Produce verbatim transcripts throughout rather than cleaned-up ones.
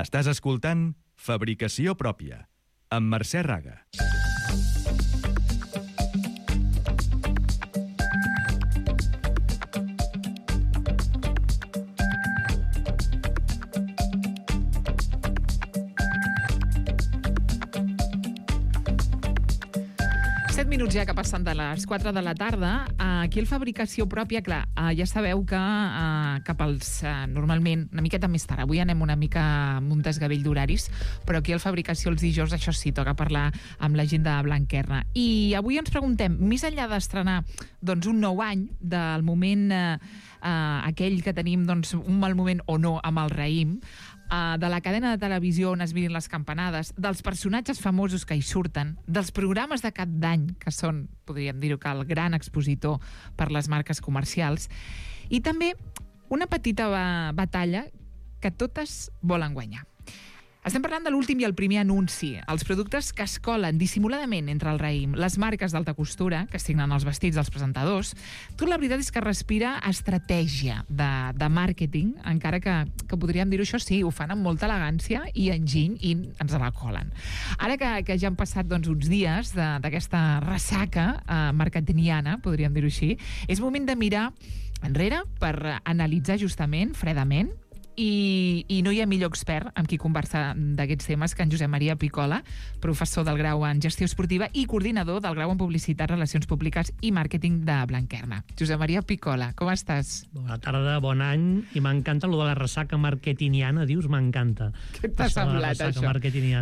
Estàs escoltant Fabricació Pròpia, amb Mercè Raga. Minuts ja que passen de les quatre de la tarda. Aquí el Fabricació Pròpia, clar, ja sabeu que cap als, normalment, una miqueta més tard, avui anem una mica amb un desgavell d'horaris, però aquí el Fabricació els dijous, això sí, toca parlar amb la gent de Blanquerna. I avui ens preguntem, més enllà d'estrenar doncs, un nou any, del moment eh, aquell que tenim doncs, un mal moment o no amb el raïm, de la cadena de televisió on es miren les campanades, dels personatges famosos que hi surten, dels programes de cap d'any, que són, podríem dir-ho, que el gran expositor per les marques comercials, i també una petita batalla que totes volen guanyar. Estem parlant de l'últim i el primer anunci, els productes que es colen dissimuladament entre el raïm, les marques d'alta costura, que signen els vestits dels presentadors. Tot la veritat és que respira estratègia de, de màrqueting, encara que, que podríem dir-ho això, sí, ho fan amb molta elegància i enginy i ens la colen. Ara que, que ja han passat doncs, uns dies d'aquesta ressaca eh, marketingiana, podríem dir-ho així, és moment de mirar enrere per analitzar justament, fredament, I, i no hi ha millor expert amb qui conversar d'aquests temes que en Josep Maria Picola, professor del grau en Gestió Esportiva i coordinador del grau en Publicitat, Relacions Públiques i Màrqueting de Blanquerna. Josep Maria Picola, com estàs? Bona tarda, bon any, i m'encanta allò de la ressaca marketingiana, dius, m'encanta. Què t'ha semblat, això?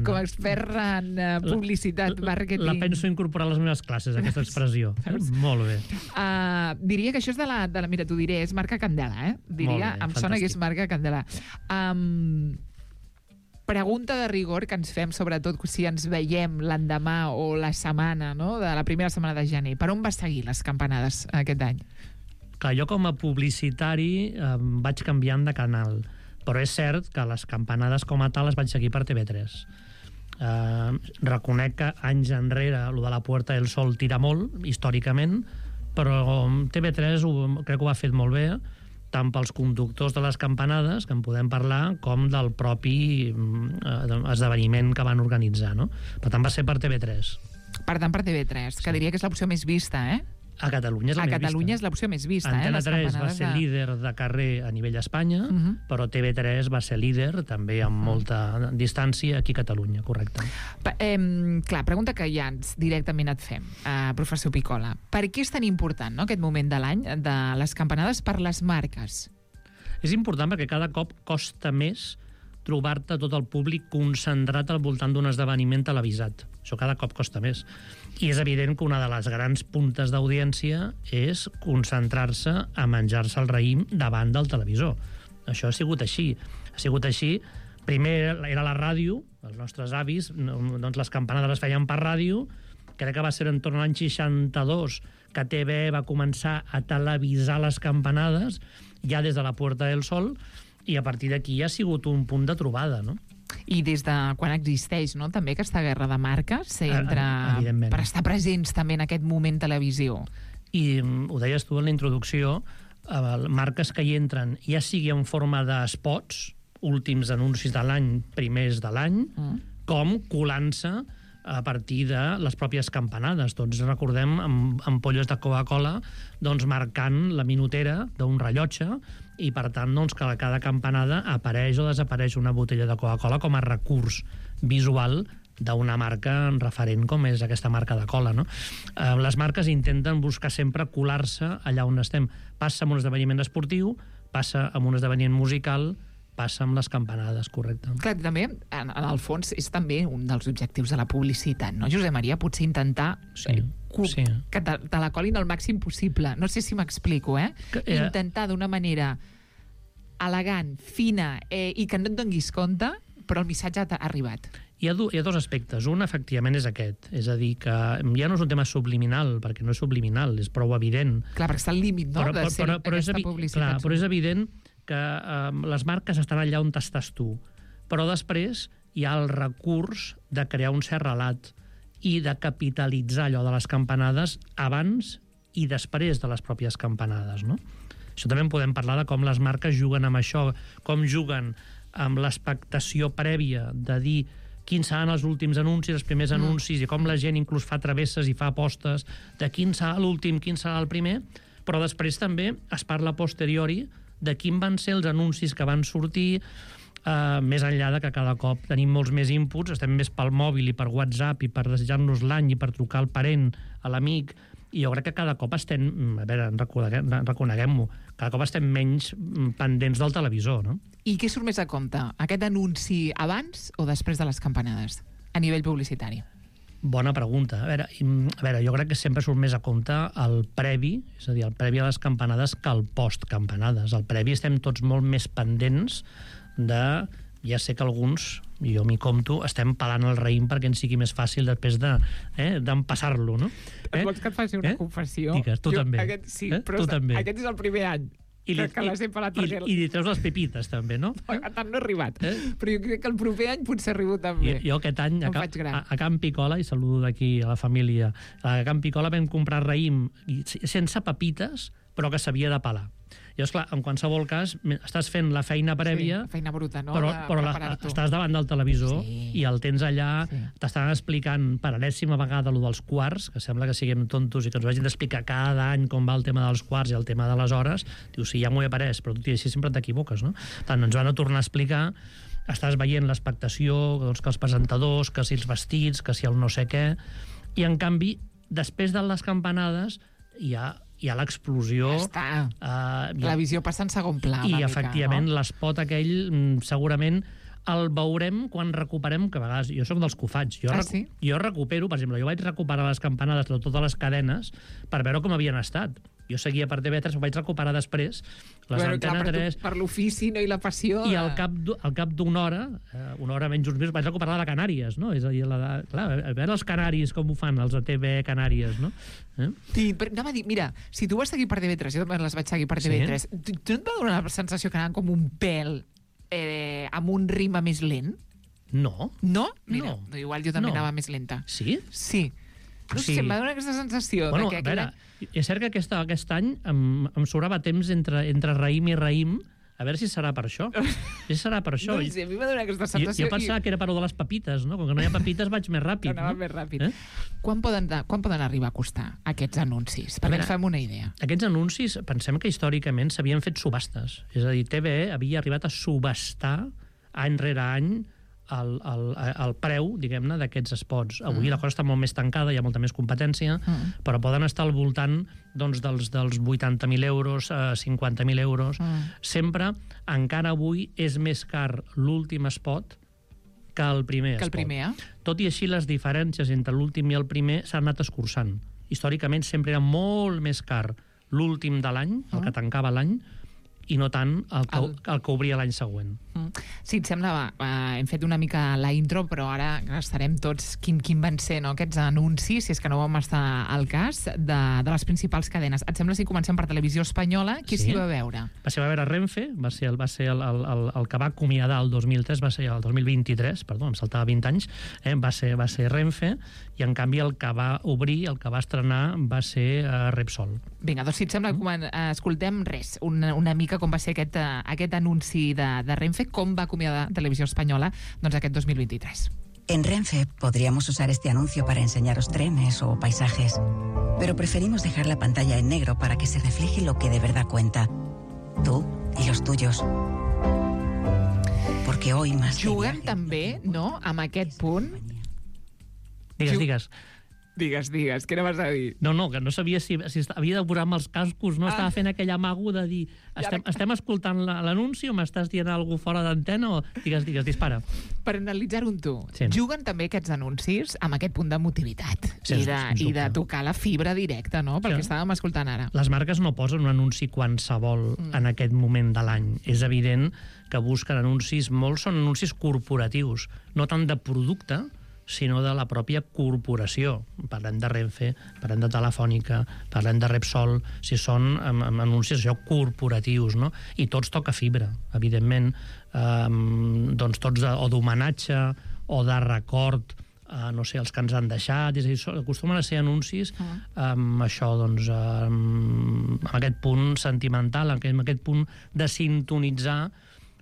Com a expert en uh, publicitat, la, màrqueting... La penso incorporar a les meves classes, aquesta expressió. Molt bé. Uh, diria que això és de la, de la... Mira, t'ho diré, és marca Candela, eh? Diria, bé, em fantàstic. Sona que és marca Candela. Um, pregunta de rigor que ens fem, sobretot si ens veiem l'endemà o la setmana, no? De la primera setmana de gener. Per on va seguir les campanades aquest any? Clar, jo com a publicitari eh, vaig canviant de canal, però és cert que les campanades com a tal les vaig seguir per T V tres. Eh, reconec que anys enrere lo de la Puerta del Sol tira molt, històricament, però T V tres ho, crec que ho ha fet molt bé, tant pels conductors de les campanades, que en podem parlar, com del propi eh, esdeveniment que van organitzar, no? Per tant, va ser per T V tres. Per tant, per T V tres, que sí. diria que és l'opció més vista, eh? A Catalunya és la a més Catalunya vista. és l'opció més vista, Antena eh? tres va ser de... líder de carrer a nivell Espanya, uh -huh. però T V tres va ser líder, també amb molta distància, aquí a Catalunya, correcte. Pa, eh, clar, pregunta que ja ens directament et fem, eh, professor Picola. Per què és tan important, no, aquest moment de l'any de les campanades per les marques? És important perquè cada cop costa més trobar-te tot el públic concentrat al voltant d'un esdeveniment televisat. Això cada cop costa més. I és evident que una de les grans puntes d'audiència és concentrar-se a menjar-se el raïm davant del televisor. Això ha sigut així. Ha sigut així. Primer era la ràdio, els nostres avis, doncs les campanades les feien per ràdio. Crec que va ser en torn a l'any seixanta-dos que T V va començar a televisar les campanades, ja des de la Puerta del Sol, i a partir d'aquí ha sigut un punt de trobada, no? I des de quan existeix, no?, també aquesta guerra de marques entre... Evidentment. Per estar presents també en aquest moment televisió. I ho deies tu en la introducció, eh, marques que hi entren, ja sigui en forma d'espots, últims anuncis de l'any, primers de l'any, mm. com colant-se a partir de les pròpies campanades. Tots recordem amb ampolles de Coca-Cola doncs, marcant la minutera d'un rellotge i, per tant, doncs, que a cada campanada apareix o desapareix una botella de Coca-Cola com a recurs visual d'una marca referent com és aquesta marca de cola, no? Eh, les marques intenten buscar sempre colar-se allà on estem. Passa amb un esdeveniment esportiu, passa amb un esdeveniment musical, passa amb les campanades, correcte. Clar, també, en, en el fons, és també un dels objectius de la publicitat, no, Josep Maria? Potser intentar sí, eh, sí. que te, te la colin el màxim possible. No sé si m'explico, eh? Que, eh? Intentar d'una manera elegant, fina, eh, i que no et donis compte, però el missatge ha arribat. Hi ha, do, hi ha dos aspectes. Un, efectivament, és aquest. És a dir, que ja no és un tema subliminal, perquè no és subliminal, és prou evident. Clar, perquè està al límit, no?, però, de ser però, però aquesta és publicitat. Clar, però és evident que eh, les marques estan allà on estàs tu, però després hi ha el recurs de crear un cert relat i de capitalitzar allò de les campanades abans i després de les pròpies campanades, no? Això també en podem parlar de com les marques juguen amb això, com juguen amb l'expectació prèvia de dir quins seran els últims anuncis, els primers mm. anuncis, i com la gent inclús fa travesses i fa apostes de quin serà l'últim, quin serà el primer, però després també es parla a posteriori de quin van ser els anuncis que van sortir, eh, més enllà de que cada cop tenim molts més inputs, estem més pel mòbil i per WhatsApp i per desitjar-nos l'any i per trucar al parent, a l'amic, i jo crec que cada cop estem, a veure, reconeguem-ho, cada cop estem menys pendents del televisor, no? I què surt més a compte? Aquest anunci abans o després de les campanades, a nivell publicitari? Bona pregunta. A veure, a veure, jo crec que sempre surt més a compte el previ, és a dir, el previ a les campanades que el post-campanades. El previ estem tots molt més pendents de... Ja sé que alguns, i jo m'hi compto, estem pelant el raïm perquè ens sigui més fàcil després de, eh, d'empassar-lo, no? Eh? Vols que et faci una eh? confessió? Digues, tu jo, també. Aquest, sí, eh? però tu també. Aquest és el primer any. I li, que les he pelat i, perquè... I li treus les pepites, també, no? A tant no he arribat. Eh? Però jo crec que el proper any potser arribo també. Jo, jo aquest any, a, a, a Can Picola, i saludo d'aquí a la família, a Can Picola vam comprar raïm sense pepites, però que s'havia de pelar. I, esclar, en qualsevol cas, estàs fent la feina prèvia... Sí, feina bruta, no? Però, però la, estàs davant del televisor sí. i el tens allà, sí. t'estan explicant per enèsima vegada allò dels quarts, que sembla que siguem tontos i que ens vagin d'explicar cada any com va el tema dels quarts i el tema de les hores. Dius, sí, ja m'ho he après, però tu així sempre t'equivoques, no? Tant, ens van a tornar a explicar, estàs veient l'expectació, doncs, que els presentadors, que si els vestits, que si el no sé què... I, en canvi, després de les campanades, hi ha... hi ha l'explosió... Ja està. Uh, la visió passa en segon pla. I, mica, efectivament, no? l'espot aquell, segurament, el veurem quan recuperem, que a vegades... Jo sóc dels que ho faig. Jo, ah, recu sí? jo recupero, per exemple, jo vaig recuperar les campanades de totes les cadenes per veure com havien estat. Jo seguia per T V tres, ho vaig recuperar després, les bueno, Antena clar, per tres... Tu, per l'ofici, no? I la passió... I al cap, al cap d'una hora, eh, una hora menys uns mesos, vaig recuperar la de Canàries, no? És a dir, la de, clar, a veure els canaris com ho fan, els de T V Canàries, no? Eh? Sí, però anava a dir, mira, si tu vas seguir per T V tres, jo també les vaig seguir per T V tres, sí? tu, tu no et va donar la sensació que anaven com un pèl eh, amb un ritme més lent? No. No? Mira, no. igual jo també no. anava més lenta. Sí? Sí. No sí. sé, em va donar aquesta sensació. Bueno, de que a veure, aquella... és cert que aquest, aquest any em, em sobrava temps entre, entre raïm i raïm, a veure si serà per això. Si serà per això. No sé, a mi m'ha donat aquesta sensació. Jo, jo pensava i... que era per de les pepites, no? Com que no hi ha pepites vaig més ràpid. Anava no? més ràpid. Eh? Quan, poden, quan poden arribar a costar aquests anuncis? Perquè ens fem una idea. Aquests anuncis, pensem que històricament s'havien fet subhastes. És a dir, T V E havia arribat a subhastar any rere any el, el, el preu, diguem-ne, d'aquests spots. Avui mm. la cosa està molt més tancada, hi ha molta més competència, mm. però poden estar al voltant doncs, dels, dels vuitanta mil euros, eh, cinquanta mil euros. Mm. Sempre, encara avui, és més car l'últim spot que el primer que el spot. Primer, eh? Tot i així, les diferències entre l'últim i el primer s'han anat escurçant. Històricament sempre era molt més car l'últim de l'any, el que tancava l'any, i no tant el que, el... el que obria l'any següent. Sí, et sembla, va, hem fet una mica la intro, però ara estarem tots quin, quin van ser, no, aquests anuncis, si és que no vam estar al cas, de, de les principals cadenes. Et sembla si comencem per Televisió Espanyola? Qui s'hi sí. va veure? Va ser, va veure Renfe, va ser, el, va ser el, el, el, el que va acomiadar el dos mil tres, va ser el dos mil vint-i-tres, perdó, em saltava vint anys, eh, va, ser, va ser Renfe, i en canvi el que va obrir, el que va estrenar, va ser uh, Repsol. Vinga, doncs si et sembla, mm. escoltem res, una, una mica com va ser aquest, uh, aquest anunci de, de Renfe, com va acomiadar Televisió Espanyola doncs, aquest dos mil vint-i-tres. En Renfe podríamos usar este anuncio para enseñaros trenes o paisajes, pero preferimos dejar la pantalla en negro para que se refleje lo que de verdad cuenta. Tú y los tuyos. Porque hoy más... Juguem també, no?, amb aquest punt. Digues, Ju digues. Digues, digues, què anaves a dir? No, no, que no sabia si, si havia de posar amb els cascos, no? Ah. Estava fent aquell amago de dir estem, ara... estem escoltant l'anunci o m'estàs dient alguna fora d'antena o... Digues, digues, dispara. Per analitzar-ho amb tu, sí. Juguen també aquests anuncis amb aquest punt d'emotivitat sí, i, de, i de tocar la fibra directa, no?, pel sí. que estàvem escoltant ara. Les marques no posen un anunci qualsevol mm. en aquest moment de l'any. És evident que busquen anuncis, molts són anuncis corporatius, no tant de producte, sinó de la pròpia corporació. Parlem de Renfe, parlem de Telefònica, parlem de Repsol, si són um, anuncis això, corporatius, no? I tots toca fibra, evidentment, um, doncs tots de, o d'homenatge o de record, uh, no sé, els que ens han deixat, és a dir, acostumen a ser anuncis amb això, doncs, um, amb aquest punt sentimental, amb aquest punt de sintonitzar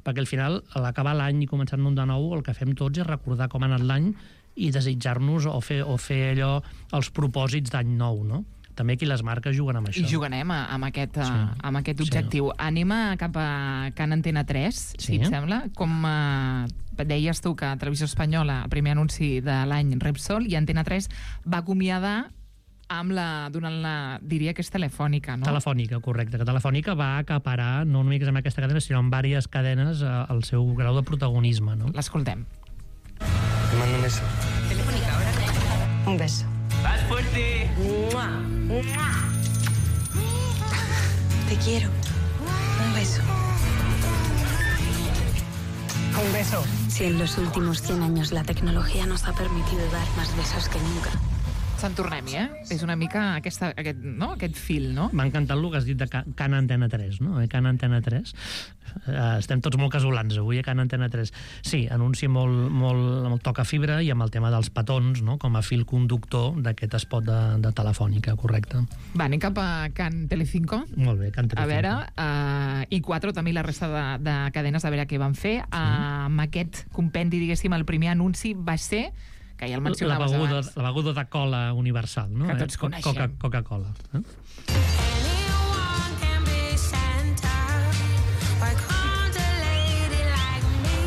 perquè al final, a l'acabar l'any i començar-ne un de nou, el que fem tots és recordar com ha anat l'any i desitjar-nos o fer, o fer allò, els propòsits d'any nou, no? També aquí les marques juguen amb això. I jugarem amb aquest, Sí. amb aquest objectiu. Sí. Anem a cap a Can Antena tres, Sí. si et sembla. Com eh, deies tu que Televisió Espanyola, el primer anunci de l'any Repsol, i Antena tres va acomiadar amb la, donant la, diria que és telefònica, no? Telefònica, correcte. Que Telefònica va acaparar, no només amb aquesta cadena, sinó amb diverses cadenes, eh, el seu grau de protagonisme, no? L'escoltem. Te mando un beso. Telefónica, ahora un beso. ¡Más fuerte! ¡Mua! ¡Mua! Te quiero. Un beso. Un beso. Si en los últimos cien años la tecnología nos ha permitido dar más besos que nunca. Sant tornem-hi, eh? És una mica aquesta, aquest, no? aquest fil, no? M'ha encantat el que has dit de Ca- Can Antena tres, no? Eh, Can Antena tres. Uh, estem tots molt casolans avui a Can Antena tres. Sí, anunci molt, molt, molt toca fibra i amb el tema dels petons, no? Com a fil conductor d'aquest spot de, de Telefònica, correcte. Va, anem cap a Can Telecinco. Molt bé, Can A Telecinco. veure, uh, i quatre també la resta de, de cadenes, a veure què van fer. Uh, amb aquest compendi, diguéssim, el primer anunci va ser, que ja el la mencionaves beguda, abans. la beguda de cola universal, no? Que tots Eh? Co- coneixem. Coca, Coca-Cola. Eh? Anyone can be Santa. Why can't a lady like me?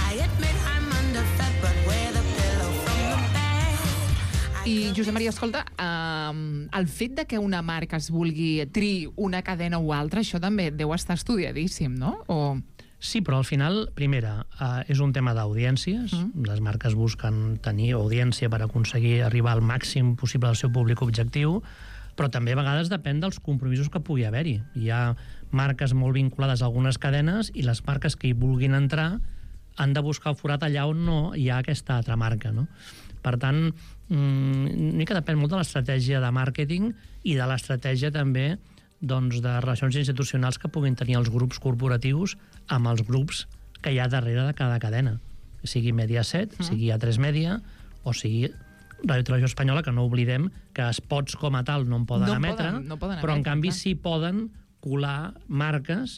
I admit I'm underfed, but with a pillow from the bed. I, Josep Maria, escolta, um, el fet de que una marca es vulgui triar una cadena o altra, això també deu estar estudiadíssim, no? O... Sí, però al final, primera, eh, és un tema d'audiències. Mm. Les marques busquen tenir audiència per aconseguir arribar al màxim possible al seu públic objectiu, però també a vegades depèn dels compromisos que pugui haver-hi. Hi ha marques molt vinculades a algunes cadenes i les marques que hi vulguin entrar han de buscar el forat allà on no hi ha aquesta altra marca, no? Per tant, una mica depèn molt de l'estratègia de màrqueting i de l'estratègia també doncs, de relacions institucionals que puguin tenir els grups corporatius amb els grups que hi ha darrere de cada cadena. Sigui Mediaset, mm. sigui A tres Media, o sigui Ràdio Televisió Espanyola, que no oblidem que spots com a tal no en poden No emetre, poden- no poden però en emetre, canvi clar. sí poden colar marques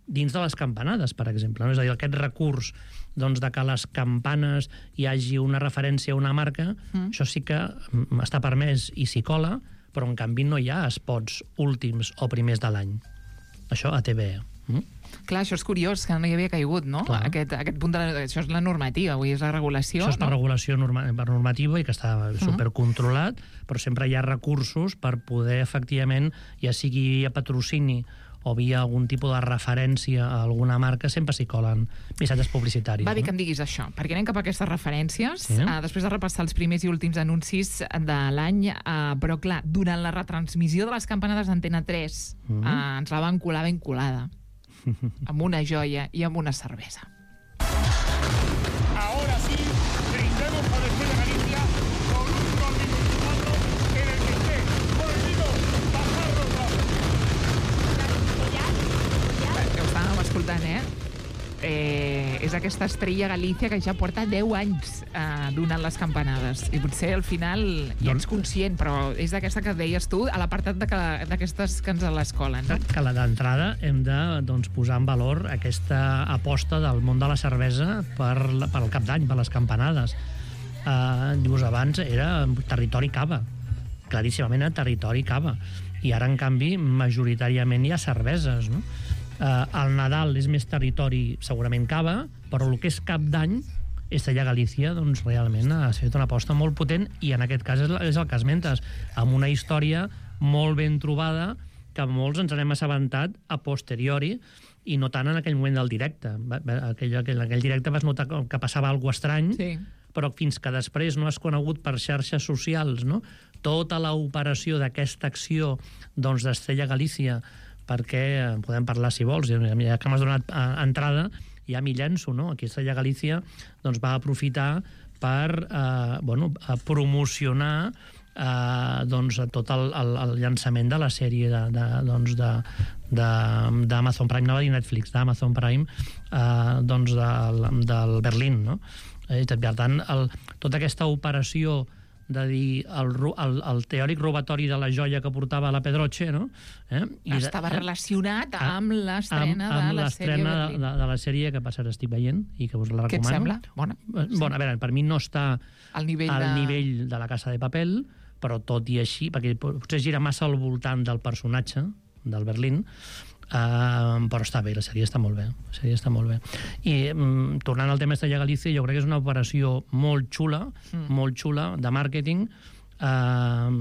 dins de les campanades, per exemple. No? És a dir, aquest recurs doncs, de que a les campanes hi hagi una referència a una marca, mm. això sí que mm, està permès i s'hi cola, però en canvi no hi ha spots últims o primers de l'any. Això a T V E. Mm? Clar, això és curiós, que no hi havia caigut, no? Clar. Aquest, aquest punt de la, això és la normativa, avui és la regulació, Això és per no? regulació norma, per normativa i que està supercontrolat, però sempre hi ha recursos per poder, efectivament, ja sigui via patrocini o via algun tipus de referència a alguna marca, sempre s'hi colen missatges publicitaris. Va bé que no? em diguis això, perquè anem cap a aquestes referències, Sí. uh, després de repassar els primers i últims anuncis de l'any, uh, però clar, durant la retransmissió de les campanades d'Antena tres, Mhm. uh, ens la van colar ben colada, amb una joia i amb una cervesa. Ahora sí, brindemos por el Cielo de Galicia con un gol de veinticuatro en el que esté prohibido bajar los brazos. Que ho estàvem escoltant, eh? eh? És aquesta estrella Galícia que ja porta deu anys eh, donant les campanades. I potser al final ja ets conscient, però és d'aquesta que deies tu, a l'apartat d'aquestes que ens les colen. No? Que la d'entrada hem de doncs, posar en valor aquesta aposta del món de la cervesa per, la- per al cap d'any, per les campanades. Uh, dius, abans era territori cava, claríssimament era territori cava, i ara, en canvi, majoritàriament hi ha cerveses, no? Uh, el Nadal és més territori, segurament cava, però el que és cap d'any, Estrella Galícia, doncs, realment ha fet una aposta molt potent, i en aquest cas és, la- és el que esmentes, amb una història molt ben trobada, que molts ens n'hem assabentat a posteriori, i no tant en aquell moment del directe. Va- va- Aquell, aquell, aquell directe vas notar que que passava alguna cosa estrany, Sí. però fins que després no has conegut per xarxes socials, no?, tota l'operació d'aquesta acció doncs, d'Estrella Galícia, perquè eh, podem parlar si vols, ja que m'has donat eh, entrada, ja m'hi llenço, no? Aquí Estrella Galícia doncs, va aprofitar per eh, bueno, a promocionar eh, doncs, tot el, el, el llançament de la sèrie de, de, doncs, de, de, d'Amazon Prime, no va dir Netflix, d'Amazon Prime, eh, doncs del, del Berlín, no? Eh, per tant, el, tota aquesta operació de dir el, el, el teòric robatori de la joia que portava la Pedroche, no? Eh? I Estava de, eh? relacionat amb l'estrena de la sèrie de, Berlín. de, de la sèrie que per cert estic veient i que us la recomano. Què et sembla? Bona. Bueno, a veure, per mi no està al nivell, al de... nivell de la Casa de Papel, però tot i així, perquè potser gira massa al voltant del personatge del Berlín, Uh, però està bé, la sèrie està molt bé, la sèrie està molt bé. I um, tornant al tema Estrella Galícia, jo crec que és una operació molt xula, mm. molt xula, de màrqueting, uh,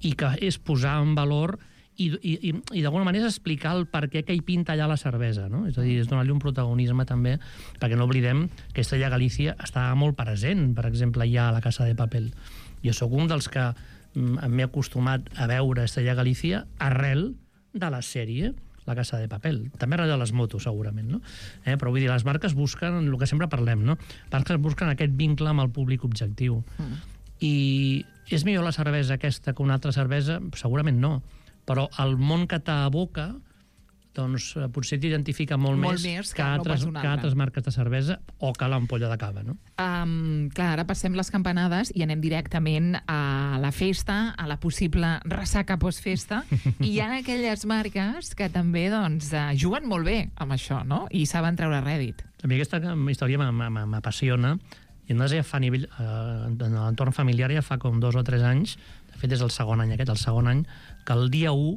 i que és posar en valor i, i, i, i d'alguna manera és explicar el per què que hi pinta allà la cervesa, no? És a dir, és donar-li un protagonisme també, perquè no oblidem que Estrella Galícia està molt present, per exemple, ja a la Casa de Papel. Jo sóc un dels que um, m'he acostumat a veure Estrella Galícia arrel de la sèrie La Casa de Papel. També arrel de les motos, segurament, no? Eh, però vull dir, les marques busquen el que sempre parlem, no? Les marques busquen aquest vincle amb el públic objectiu. Mm. I és millor la cervesa aquesta que una altra cervesa? Segurament no. Però el món que t'aboca, doncs potser t'identifica molt, molt més, més que, que, altres, no que altres marques de cervesa o que l'ampolla de cava, no? Um, clar, ara passem les campanades i anem directament a la festa, a la possible ressaca postfesta, i hi ha aquelles marques que també doncs, juguen molt bé amb això, no? I saben treure rèdit. A mi aquesta història m'apassiona, i no ja fa a nivell, eh, en l'entorn familiar ja fa com dos o tres anys, de fet és el segon any aquest, el segon any, que el dia u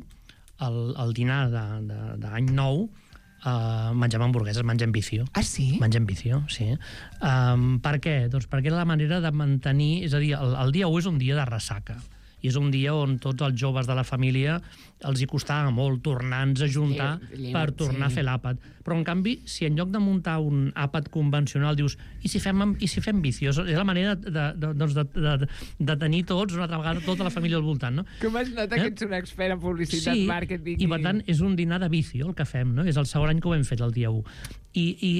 el, el dinar d'any nou uh, mengem hamburgueses, mengem vicio. Ah, sí? Mengem vicio, sí. Um, per què? Doncs perquè era la manera de mantenir... És a dir, el, el dia u és un dia de ressaca. I és un dia on tots els joves de la família els hi costava molt tornar-nos a juntar Lleu, per tornar sí. a fer l'àpat. Però, en canvi, si en lloc de muntar un àpat convencional dius i si fem, i si fem vicios? És la manera de, de, doncs de, de, de tenir tots, una altra vegada, tota la família al voltant, no? Com has notat eh? que ets un expert en publicitat, sí, màrqueting... i per tant és un dinar de vicio el que fem, no? És el segon any que ho hem fet, el dia u. I, i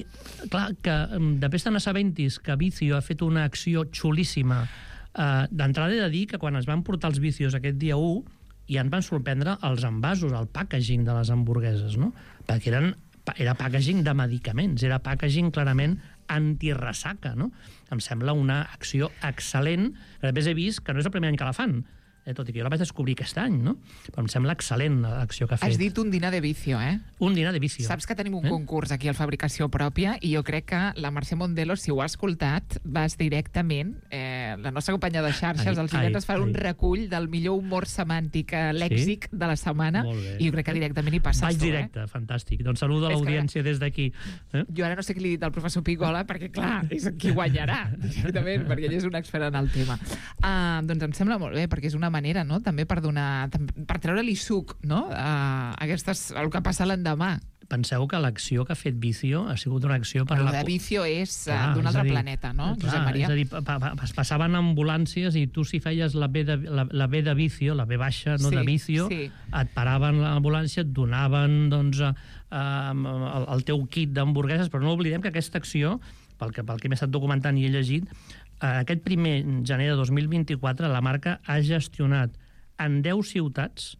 clar, que després te n'assabentis que Vicio ha fet una acció xulíssima. Uh, d'entrada he de dir que quan es van portar els vicios aquest dia u ja ens van sorprendre els envasos, el packaging de les hamburgueses, no? Perquè eren, era packaging de medicaments, era packaging clarament antirressaca, no? Em sembla una acció excel·lent, que després he vist que no és el primer any que la fan, eh, tot i que jo la vaig descobrir aquest any, no? Però em sembla excel·lent l'acció que ha fet. Has dit un dinar de vicio, eh? Un dinar de vicio. Saps que tenim un eh? concurs aquí al Fabricació Pròpia i jo crec que la Mercè Mondelo, si ho ha escoltat, vas directament, eh, la nostra companya de xarxes, els divendres fa un recull del millor humor semàntic eh, lèxic sí? de la setmana i jo crec que directament hi passes Vaig tu, directe, eh? fantàstic. Doncs saludo a l'audiència des d'aquí. Eh? Jo ara no sé què li he dit al professor Pigola, perquè clar, és qui guanyarà, directament, perquè ell és un expert en el tema. Uh, doncs em sembla molt bé, perquè és una manera, no?, també per donar, per treure-li suc, no?, a aquestes, el que passa l'endemà. Penseu que l'acció que ha fet Vicio ha sigut una acció per... Però la... de Vicio és ah, d'un altre dir, planeta, no, clar, Josep Maria? És a dir, pa, pa, passaven ambulàncies i tu si feies la B de, la, la B de Vicio, la B baixa, no sí, de Vicio, sí. et paraven l'ambulància, et donaven doncs, uh, el, el teu kit d'hamburgueses, però no oblidem que aquesta acció, pel que, pel que m'he estat documentant i he llegit, uh, aquest primer gener de dos mil vint-i-quatre la marca ha gestionat en deu ciutats,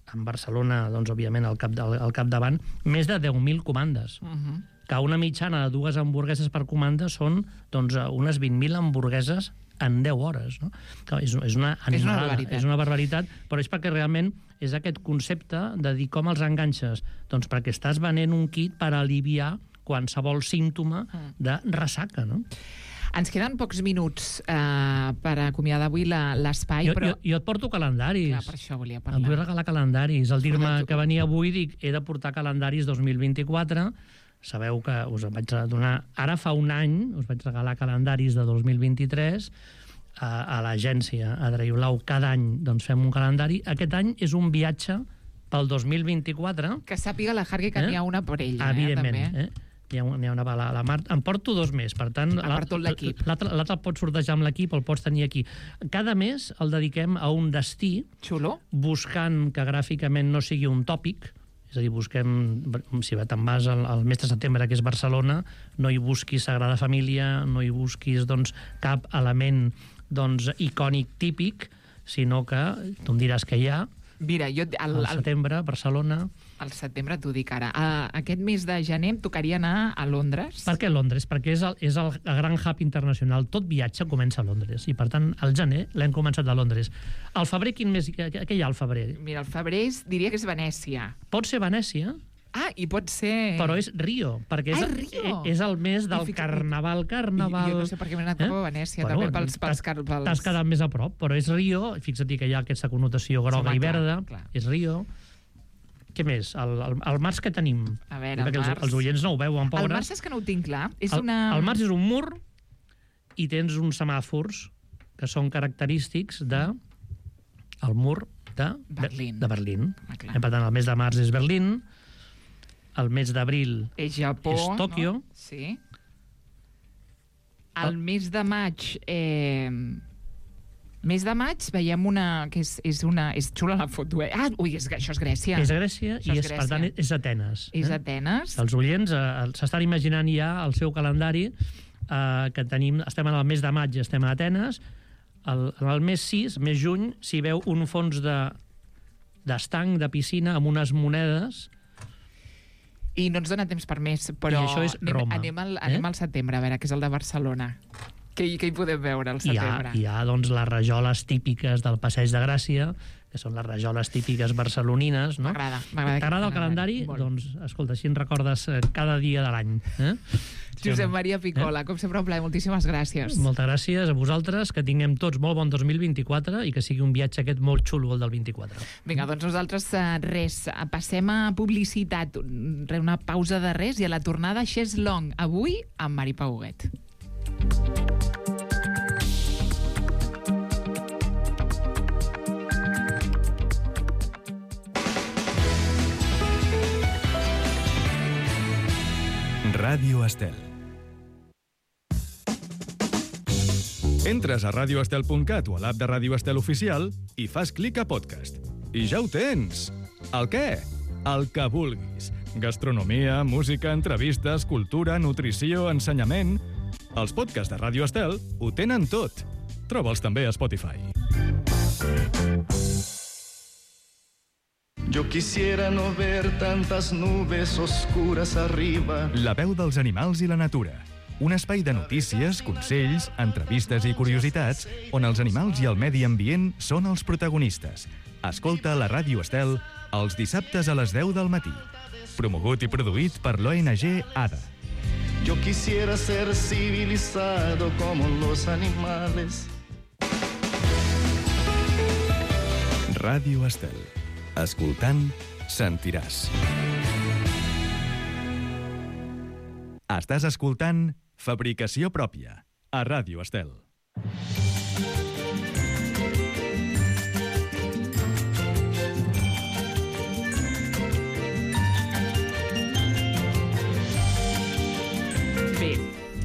en Barcelona, doncs, òbviament, al, cap, al, al capdavant, més de deu mil comandes. Uh-huh. Que una mitjana de dues hamburgueses per comanda són doncs, unes vint mil hamburgueses en deu hores. No? Clar, és, és, una animalada, és una barbaritat. És una barbaritat, però és perquè realment és aquest concepte de dir com els enganxes. Doncs perquè estàs venent un kit per aliviar qualsevol símptoma de ressaca, no? Ens queden pocs minuts eh, per acomiadar avui l'espai, però... Jo, jo et porto calendaris. Clar, per això volia parlar. Em vull regalar calendaris. Al dir-me que venia avui, dic, he de portar calendaris dos mil vint-i-quatre. Sabeu que us vaig donar... Ara fa un any us vaig regalar calendaris de dos mil vint-i-tres a, a l'agència Adraiulau. Cada any doncs, fem un calendari. Aquest any és un viatge pel dos mil vint-i-quatre. Que sàpiga la Hargui que eh? n'hi ha una per ella. Evidentment, eh? També. eh? Hi ha, hi ha una bala a la Mar. Em porto dos més, per tant... A part tot l'equip. L'altre el pots sortejar amb l'equip, el pots tenir aquí. Cada mes el dediquem a un destí... Xulo. Buscant que gràficament no sigui un tòpic, és a dir, busquem... Si te'n vas al, al mes de setembre, que és Barcelona, no hi busquis Sagrada Família, no hi busquis doncs, cap element doncs, icònic típic, sinó que tu em diràs que hi ha... Mira, jo... El, al setembre, Barcelona... Al setembre t'ho dic ara. Uh, aquest mes de gener em tocaria anar a Londres. Per què Londres? Perquè és el, és el, el gran hub internacional. Tot viatge comença a Londres i, per tant, al gener l'hem començat a Londres. Al febrer, quin mes, què, què hi ha al febrer? Mira, el febrer és, diria que és Venècia. Pot ser Venècia, Ah, i pot ser... però és Rio, perquè és, Ah, és Rio. és el mes del fixa- carnaval, carnaval... I, jo no sé per què m'he anat cap a Venècia, també pels... pels, t'has- pels... T'has quedat més a prop, però és Rio, fixa't que hi ha aquesta connotació groga Home, i clar, verda, clar. és Rio. Què més? El, el, el març que tenim? A veure, el Perquè els, març- els oients no ho veuen, pobres. El març és que no ho tinc clar. És el, una... el març és un mur i tens uns semàfors que són característics de el mur de Berlín. De, de Berlín. Ah, clar. Eh, per tant, el mes de març és Berlín, el mes d'abril És Japó, és Tòquio. No? Sí. El mes de maig... Eh... Mes de maig veiem una... que és, és una... és xula la foto, eh? Ah, ui, és, això és Grècia. És Grècia Això i, és és, per tant, Grècia. és Atenes. És Atenes. Els oients eh, s'estan imaginant ja el seu calendari, eh, que tenim, estem en el mes de maig, estem a Atenes. El, en el mes sis, mes juny, s'hi veu un fons de d'estanc, de piscina, amb unes monedes. I no ens dona temps per més, però... I això és Roma. Anem, anem, al, anem eh? al setembre, a veure, que és el de Barcelona. Què, què hi podem veure al Hi ha, setembre? hi ha doncs, les rajoles típiques del Passeig de Gràcia, que són les rajoles típiques barcelonines, no? M'agrada, m'agrada. T'agrada el calendari? Molt. Doncs, escolta, així en recordes eh, cada dia de l'any. Eh? Josep Maria Picola, eh? com sempre un plaer, moltíssimes gràcies. Moltes gràcies a vosaltres, que tinguem tots molt bon dos mil vint-i-quatre i que sigui un viatge aquest molt xulo, el del vint-i-quatre. Vinga, doncs nosaltres eh, res, passem a publicitat, una pausa de res i a la tornada Xes Long, avui amb Mari Pau Huguet. Ràdio Estel. Entres a radio estel punt cat o a l'app de Ràdio Estel Oficial i fas clic a podcast. I ja ho tens! El què? El que vulguis. Gastronomia, música, entrevistes, cultura, nutrició, ensenyament... Els podcasts de Ràdio Estel ho tenen tot. Troba'ls també a Spotify. Yo quisiera no ver tantas nubes oscuras arriba. La veu dels animals i la natura. Un espai de notícies, consells, entrevistes i curiositats on els animals i el medi ambient són els protagonistes. Escolta la Ràdio Estel els dissabtes a les deu del matí. Promogut i produït per l'O N G A D A. Yo quisiera ser civilizado como los animales. Ràdio Estel. Escoltant, sentiràs. Estàs escoltant Fabricació Pròpia, a Ràdio Estel. Bé,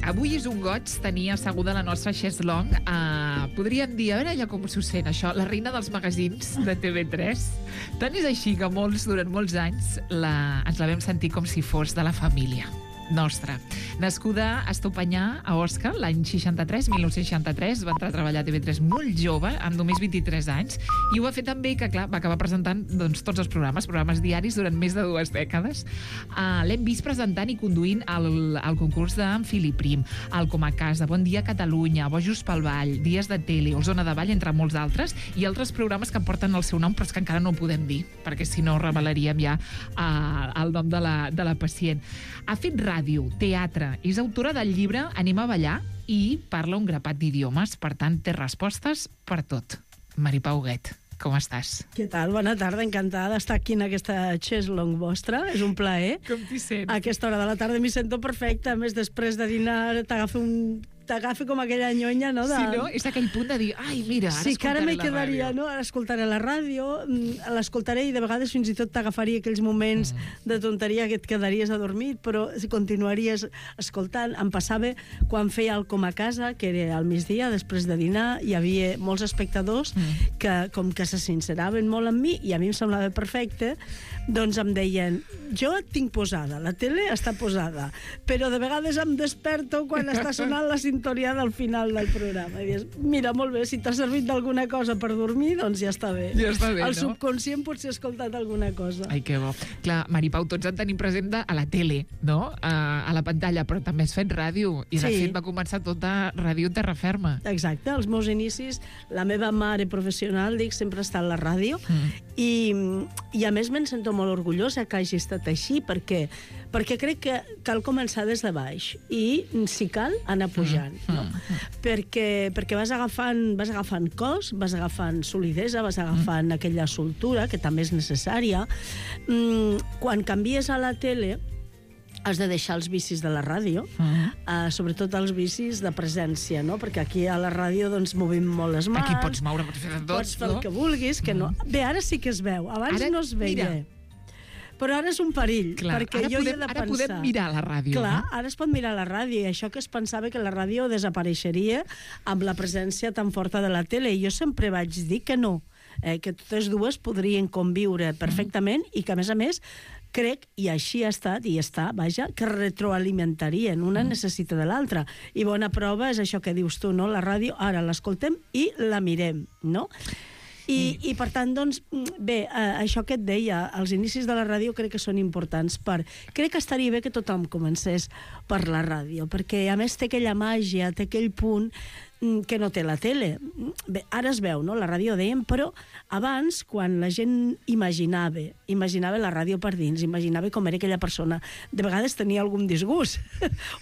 avui és un goig tenir asseguda la nostra Xes Long. Uh, podríem dir, a veure ja com s'ho sent això, la reina dels magazins de T V tres. Tant és així que molts, durant molts anys, la, ens la vam sentir com si fos de la família nostra. Nascuda a Estopanyà, a Osca, l'any seixanta-tres, mil nou-cents seixanta-tres, va entrar a treballar a T V tres molt jove, amb només vint-i-tres anys, i ho va fer també que, clar, va acabar presentant doncs, tots els programes, programes diaris durant més de dues dècades. Uh, L'hem vist presentant i conduint el, el concurs d'en Filip Prim, el Com a Casa, Bon Dia Catalunya, Bojos pel Vall, Dies de Tele, o Zona de Vall, entre molts altres, i altres programes que porten el seu nom, però és que encara no ho podem dir, perquè si no revelaríem ja uh, el nom de la, de la pacient. Ha fet ràdio, teatre, és autora del llibre Anem a ballar i parla un grapat d'idiomes, per tant, té respostes per tot. Mari Pau Huguet, com estàs? Què tal? Bona tarda, encantada d'estar aquí en aquesta Xes Long vostra. És un plaer. Com t'hi sents? A aquesta hora de la tarda m'hi sento perfecta. A més, després de dinar t'agafa un... t'agafa com aquella nyonya, no? De... Sí, no? És aquell punt de dir, ai, mira, ara sí, que ara m'hi la quedaria, ràdio. no? Ara escoltaré la ràdio, mm, l'escoltaré i de vegades fins i tot t'agafaria aquells moments mm. de tonteria que et quedaries adormit, però si continuaries escoltant. Em passava quan feia el Com a Casa, que era al migdia, després de dinar, hi havia molts espectadors mm. que com que se sinceraven molt amb mi, i a mi em semblava perfecte, doncs em deien, jo et tinc posada, la tele està posada, però de vegades em desperto quan està sonant la sintonia sintonia del final del programa. I dius, mira, molt bé, si t'ha servit d'alguna cosa per dormir, doncs ja està bé. Ja està bé, El no? subconscient potser ha escoltat alguna cosa. Ai, que bo. Clar, Maripau, tots en tenim present de, a la tele, no? A, a la pantalla, però també has fet ràdio. I, de Sí. fet, va començar tot a Ràdio Terra Ferma. Exacte, els meus inicis, la meva mare professional, dic, sempre està a la ràdio, mm. i, i a més me'n sento molt orgullosa que hagi estat així, perquè, perquè crec que cal començar des de baix i, si cal, anar pujant. Mm. No? Mm. Perquè, perquè vas agafant, vas agafant cos, vas agafant solidesa, vas agafant mm. aquella soltura, que també és necessària. Mm, quan canvies a la tele, has de deixar els vicis de la ràdio, uh-huh. uh, sobretot els vicis de presència, no? Perquè aquí a la ràdio doncs, movim molt les mans. Aquí pots moure, pots fer de tot, pots fer no? el que vulguis, que no... Bé, ara sí que es veu, abans Ara, no es veia. mira. Però ara és un perill, Clar, perquè ara jo podem, hi he de ara pensar... podem mirar la ràdio, Clar, no? ara es pot mirar la ràdio, i això que es pensava que la ràdio desapareixeria amb la presència tan forta de la tele, i jo sempre vaig dir que no, eh, que totes dues podrien conviure perfectament, i que, a més a més, crec, i així ha estat, i està, vaja, que retroalimentarien, una necessita de l'altra. I bona prova és això que dius tu, no? La ràdio, ara l'escoltem i la mirem, no? I, i per tant, doncs, bé, eh, això que et deia, els inicis de la ràdio crec que són importants per... Crec que estaria bé que tothom comencés per la ràdio, perquè a més té aquella màgia, té aquell punt que no té la tele. Bé, ara es veu, no?, la ràdio dèiem, però abans, quan la gent imaginava, imaginava la ràdio per dins, imaginava com era aquella persona, de vegades tenia algun disgust,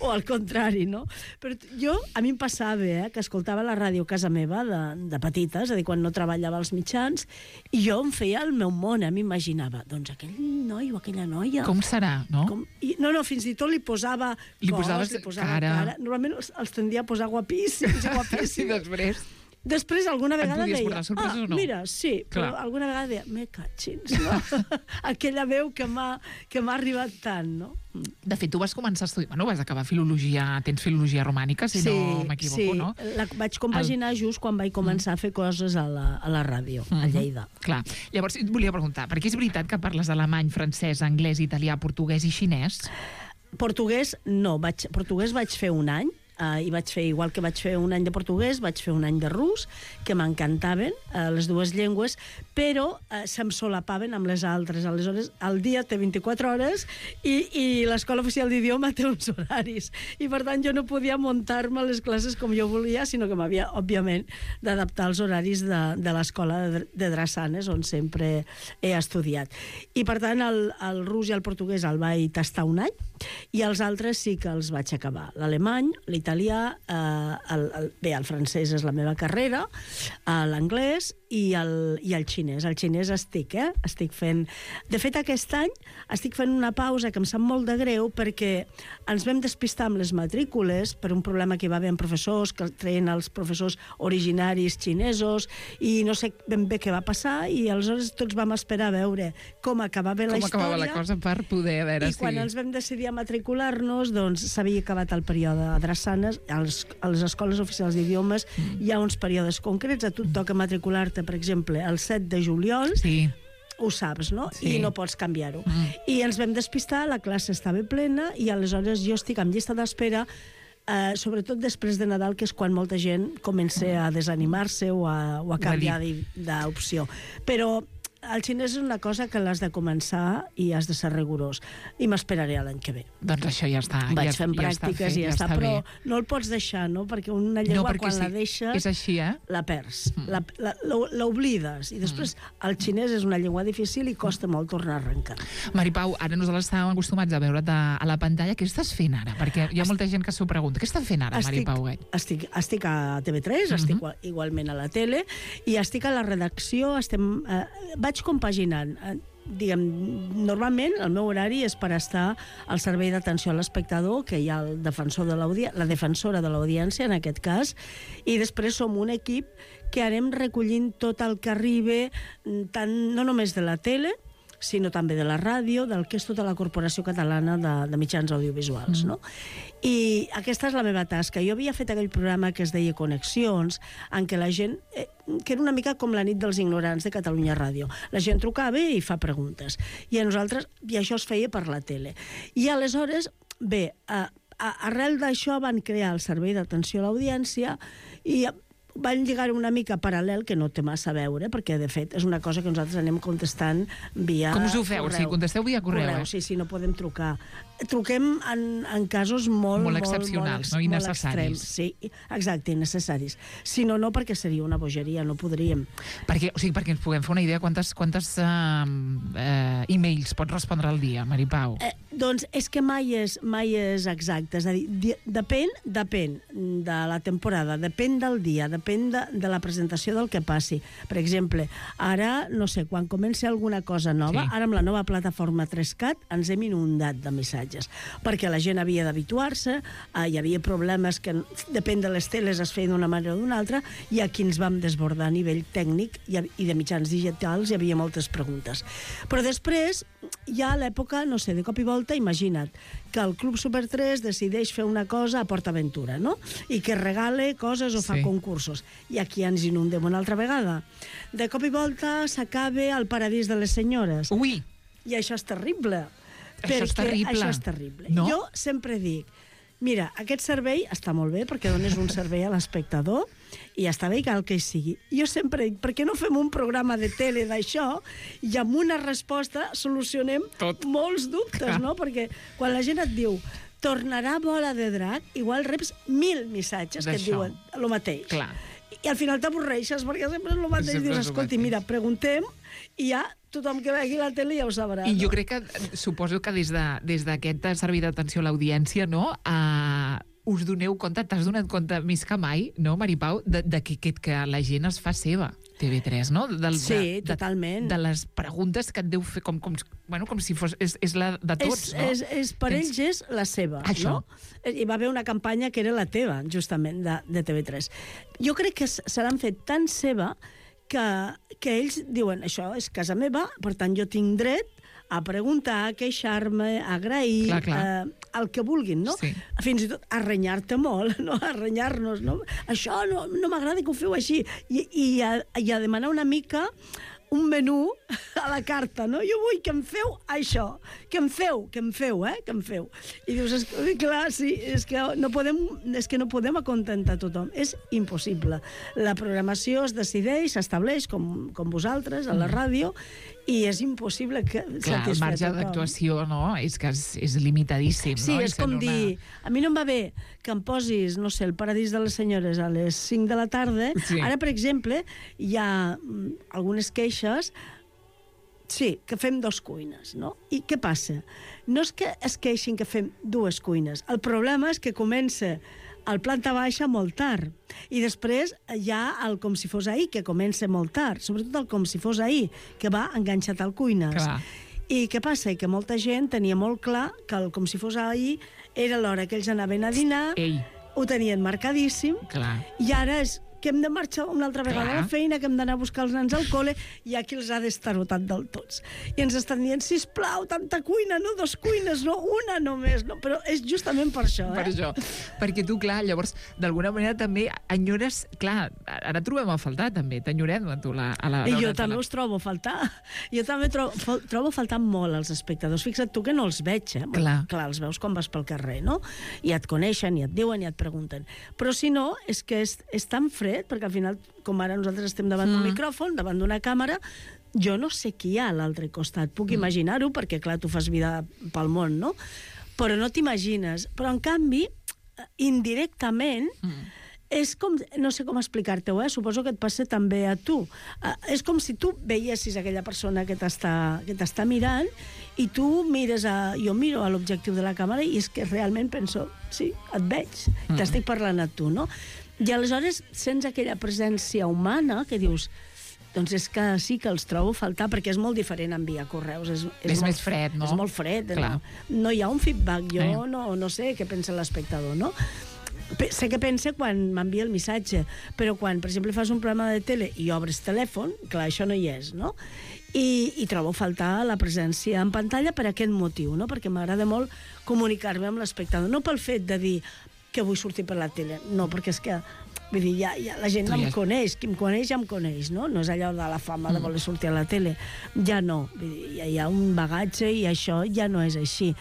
o al contrari, no? Però jo, a mi em passava, eh, que escoltava la ràdio a casa meva de, de petita, és a dir, quan no treballava als mitjans, i jo em feia el meu món, eh, m'imaginava, doncs aquell noi o aquella noia... Com serà, no? Com... I, no, no, fins i tot li posava Li cos, posaves li posava cara. cara. Normalment els, els tendia a posar guapíssims, guapíssims. I després... Després, alguna Et vegada podies deia... portar sorpreses ah, o no? mira, sí, però Clar. alguna vegada deia... Me catxins, no? Aquella veu que m'ha que m'ha arribat tant, no? De fet, tu vas començar a estudiar... Bueno, vas acabar filologia... Tens filologia romànica, si sí, no m'equivoco, sí. no? La vaig compaginar El... just quan vaig començar mm. a fer coses a la, a la ràdio, mm -hmm. a Lleida. Clar. Llavors, et volia preguntar, perquè és veritat que parles alemany, francès, anglès, italià, portuguès i xinès? Portuguès, no. Vaig, portuguès vaig fer un any, Uh, i vaig fer, igual que vaig fer un any de portuguès, vaig fer un any de rus, que m'encantaven, uh, les dues llengües, però uh, se'm solapaven amb les altres. Aleshores, el dia té vint-i-quatre hores i, i l'Escola Oficial d'Idioma té uns horaris. I, per tant, jo no podia muntar-me les classes com jo volia, sinó que m'havia, òbviament, d'adaptar als horaris de, de l'Escola de, de Drassanes, on sempre he estudiat. I, per tant, el, el rus i el portuguès el vaig tastar un any, i els altres sí que els vaig acabar. L'alemany, l'italià, eh, el, el, bé, el francès és la meva carrera, eh, l'anglès i el, i el xinès. El xinès estic, eh? Estic fent... De fet, aquest any estic fent una pausa que em sap molt de greu perquè ens vam despistar amb les matrícules per un problema que hi va haver amb professors, que treien els professors originaris xinesos, i no sé ben bé què va passar, i aleshores tots vam esperar a veure com acabava la com història. acabava la cosa per poder, a veure I si... quan ens vam decidir a matricular-nos, doncs s'havia acabat el període a Drassanes, a les, a les escoles oficials d'idiomes mm. hi ha uns períodes concrets, a tu et toca matricular-te, per exemple, el set de juliol, sí. ho saps, no? Sí. I no pots canviar-ho. Mm. I ens vam despistar, la classe estava plena, i aleshores jo estic en llista d'espera, eh, sobretot després de Nadal, que és quan molta gent comença a desanimar-se o a, o a canviar d'opció. Però el xinès és una cosa que l'has de començar i has de ser rigorós. I m'esperaré a l'any que ve. Doncs això ja està. Vaig ja, fent ja pràctiques està fet, i ja, ja està, està però bé. no el pots deixar, no? Perquè una llengua, no, perquè quan sí, la deixes, és així, eh? la perds. Mm. La, la, l'oblides. I després mm. el xinès és una llengua difícil i costa molt tornar a arrencar. Maripau, ara nosaltres estàvem acostumats a veure't a, a la pantalla. Què estàs fent ara? Perquè hi ha molta gent que s'ho pregunta. Què estàs fent ara, estic, Maripau? Estic, estic a T V tres, mm-hmm. estic igualment a la tele, i estic a la redacció, estem, eh, vaig compaginant. Eh, diguem, normalment el meu horari és per estar al servei d'atenció a l'espectador, que hi ha el defensor de l'audiència, la defensora de l'audiència, en aquest cas, i després som un equip que anem recollint tot el que arriba, tant, no només de la tele, sinó també de la ràdio, del que és tota la Corporació Catalana de, de Mitjans Audiovisuals, mm. no? I aquesta és la meva tasca. Jo havia fet aquell programa que es deia Connexions, en què la gent... Eh, que era una mica com la nit dels ignorants de Catalunya Ràdio. La gent trucava i fa preguntes. I a nosaltres... I això es feia per la tele. I aleshores, bé... Eh, a, arrel d'això van crear el servei d'atenció a l'audiència i van lligar una mica paral·lel, que no té massa a veure, perquè, de fet, és una cosa que nosaltres anem contestant via Com us ho feu? correu. O sigui, contesteu via correu, correu eh? Sí, sí, no podem trucar. Truquem en, en casos molt, Molt excepcionals, molt, no? molt Innecessaris. extrems. Sí, exacte, innecessaris. Si no, no, perquè seria una bogeria, no podríem. Perquè, o sigui, perquè ens puguem fer una idea, quantes, quantes uh, uh, e-mails pots respondre al dia, Maripau? Eh, doncs és que mai és, mai és exacte. És a dir, di, depèn, depèn de la temporada, depèn del dia, depèn de, de la presentació del que passi. Per exemple, ara, no sé, quan comenci alguna cosa nova, Sí. ara amb la nova plataforma tres cat ens hem inundat de missatges, perquè la gent havia d'habituar-se, eh, hi havia problemes que, depèn de les teles, es feien d'una manera o d'una altra, i aquí ens vam desbordar a nivell tècnic i, i de mitjans digitals, hi havia moltes preguntes. Però després, ja a l'època, no sé, de cop i volta, imagina't que el Club Super tres decideix fer una cosa a PortAventura, no? I que regale coses o fa Sí. concursos. I aquí ens inundem una altra vegada. De cop i volta s'acaba el Paradís de les Senyores. Ui! I això és terrible. Això és perquè terrible. Això és terrible. No? Jo sempre dic, mira, aquest servei està molt bé perquè dones un servei a l'espectador i està bé que el que hi sigui. Jo sempre dic, per què no fem un programa de tele d'això i amb una resposta solucionem Tot. molts dubtes, no? Perquè quan la gent et diu tornarà Bola de Drac, igual reps mil missatges que et D'això. diuen el mateix. Clar. I al final t'avorreixes perquè sempre és el mateix. Sempre Dius, és el escolti, mateix. mira, preguntem i ja tothom que vegi la tele ja ho sabrà. I jo no? crec que, eh, suposo que des de, des d'aquest servei d'atenció a l'audiència, no?, uh, us doneu compte, t'has donat compte més que mai, no, Maripau, de, de que, que, que la gent es fa seva, T V tres, no? Del, Sí, de, totalment. De, de les preguntes que et deu fer, com, com, bueno, com si fos... És, és la de tots, és, no? És, és, per Tens- ells és la seva, Això. no? Hi va haver una campanya que era la teva, justament, de, de T V tres. Jo crec que s- se l'han fet tan seva que, que ells diuen, això és casa meva, per tant jo tinc dret a preguntar, a queixar-me, a agrair, Clar, clar. eh, el que vulguin, no? Sí. Fins i tot a renyar-te molt, no? A renyar-nos, no? Això no, no m'agrada que ho feu així. I, i, a, I a demanar una mica un menú a la carta, no? Jo vull que em feu això, que em feu, que em feu, eh? Que em feu. I dius, és, clar, sí, és que no podem, és que no podem acontentar tothom. És impossible. La programació es decideix, s'estableix, com, com vosaltres, a la ràdio, i és impossible que Clar, el satisfer marge tothom. d'actuació, no?, és que és, és limitadíssim, Sí, no? és com una... dir... A mi no em va bé que em posis, no sé, el Paradís de les Senyores a les cinc de la tarda. Sí. Ara, per exemple, hi ha mm, algunes queixes. Sí, que fem dos cuines, no? I què passa? No és que es queixin que fem dues cuines. El problema és que comença al planta baixa molt tard. I després hi ha el com si fos ahir, que comença molt tard. Sobretot el com si fos ahir, que va enganxat al cuines. Clar. I què passa? Que molta gent tenia molt clar que el com si fos ahir era l'hora que ells anaven a dinar, Ei, ho tenien marcadíssim, clar. i ara és que hem de marxar una altra vegada Clar. a la feina, que hem d'anar a buscar els nens al col·le, i aquí els ha destarotat del tots. I ens estan dient, sisplau, tanta cuina, no dos cuines, no una només, no? Però és justament per això, eh? Per això. Perquè tu, clar, llavors, d'alguna manera també enyores... Clar, ara trobem a faltar, també. T'enyorem a tu la, a la... I jo la- també la- us trobo a faltar. Jo també trobo, fal- trobo a faltar molt els espectadors. Fixa't tu que no els veig, eh? Clar. Clar, els veus quan vas pel carrer, no? I et coneixen, i et diuen, i et pregunten. Però si no, és que és, és tan fred, perquè al final, com ara nosaltres estem davant d'un Mm. micròfon, davant d'una càmera, jo no sé qui hi ha a l'altre costat. Puc imaginar-ho, perquè, clar, tu fas vida pel món, no? Però no t'imagines. Però, en canvi, indirectament, Mm. és com, no sé com explicar-te-ho, eh? Suposo que et passa també a tu. Uh, és com si tu veiessis aquella persona que t'està que t'està mirant i tu mires a... Jo miro a l'objectiu de la càmera i és que realment penso, sí, et veig, Mm. t'estic parlant a tu, no? I aleshores sents aquella presència humana que dius, doncs és que sí que els trobo a faltar, perquè és molt diferent enviar correus. És, És molt, més fred, no? És molt fred. Clar. No? no hi ha un feedback. Jo Eh. no, no sé què pensa l'espectador, no? Pe- Sé què pensa quan m'envia el missatge, però quan, per exemple, fas un programa de tele i obres telèfon, clar, això no hi és, no? I, i trobo a faltar la presència en pantalla per aquest motiu, no? Perquè m'agrada molt comunicar-me amb l'espectador, no pel fet de dir que vull sortir per la tele, no, perquè és que vull dir, ja, ja la gent Tu no ja- em coneix, qui em coneix ja em coneix, no? No és allò de la fama de voler sortir a la tele. Ja no, vull dir, ja hi ha un bagatge i això ja no és així.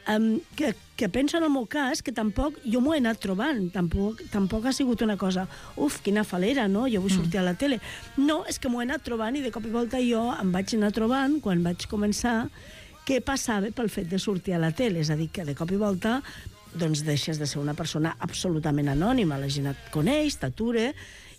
Um, que, que penso en el meu cas que tampoc, jo m'ho he anat trobant, tampoc, tampoc ha sigut una cosa, uf, quina falera, no? Jo vull sortir a la tele. No, és que m'ho he anat trobant i de cop i volta jo em vaig anar trobant, quan vaig començar, què passava pel fet de sortir a la tele. És a dir, que de cop i volta doncs deixes de ser una persona absolutament anònima. La gent et coneix, t'atura,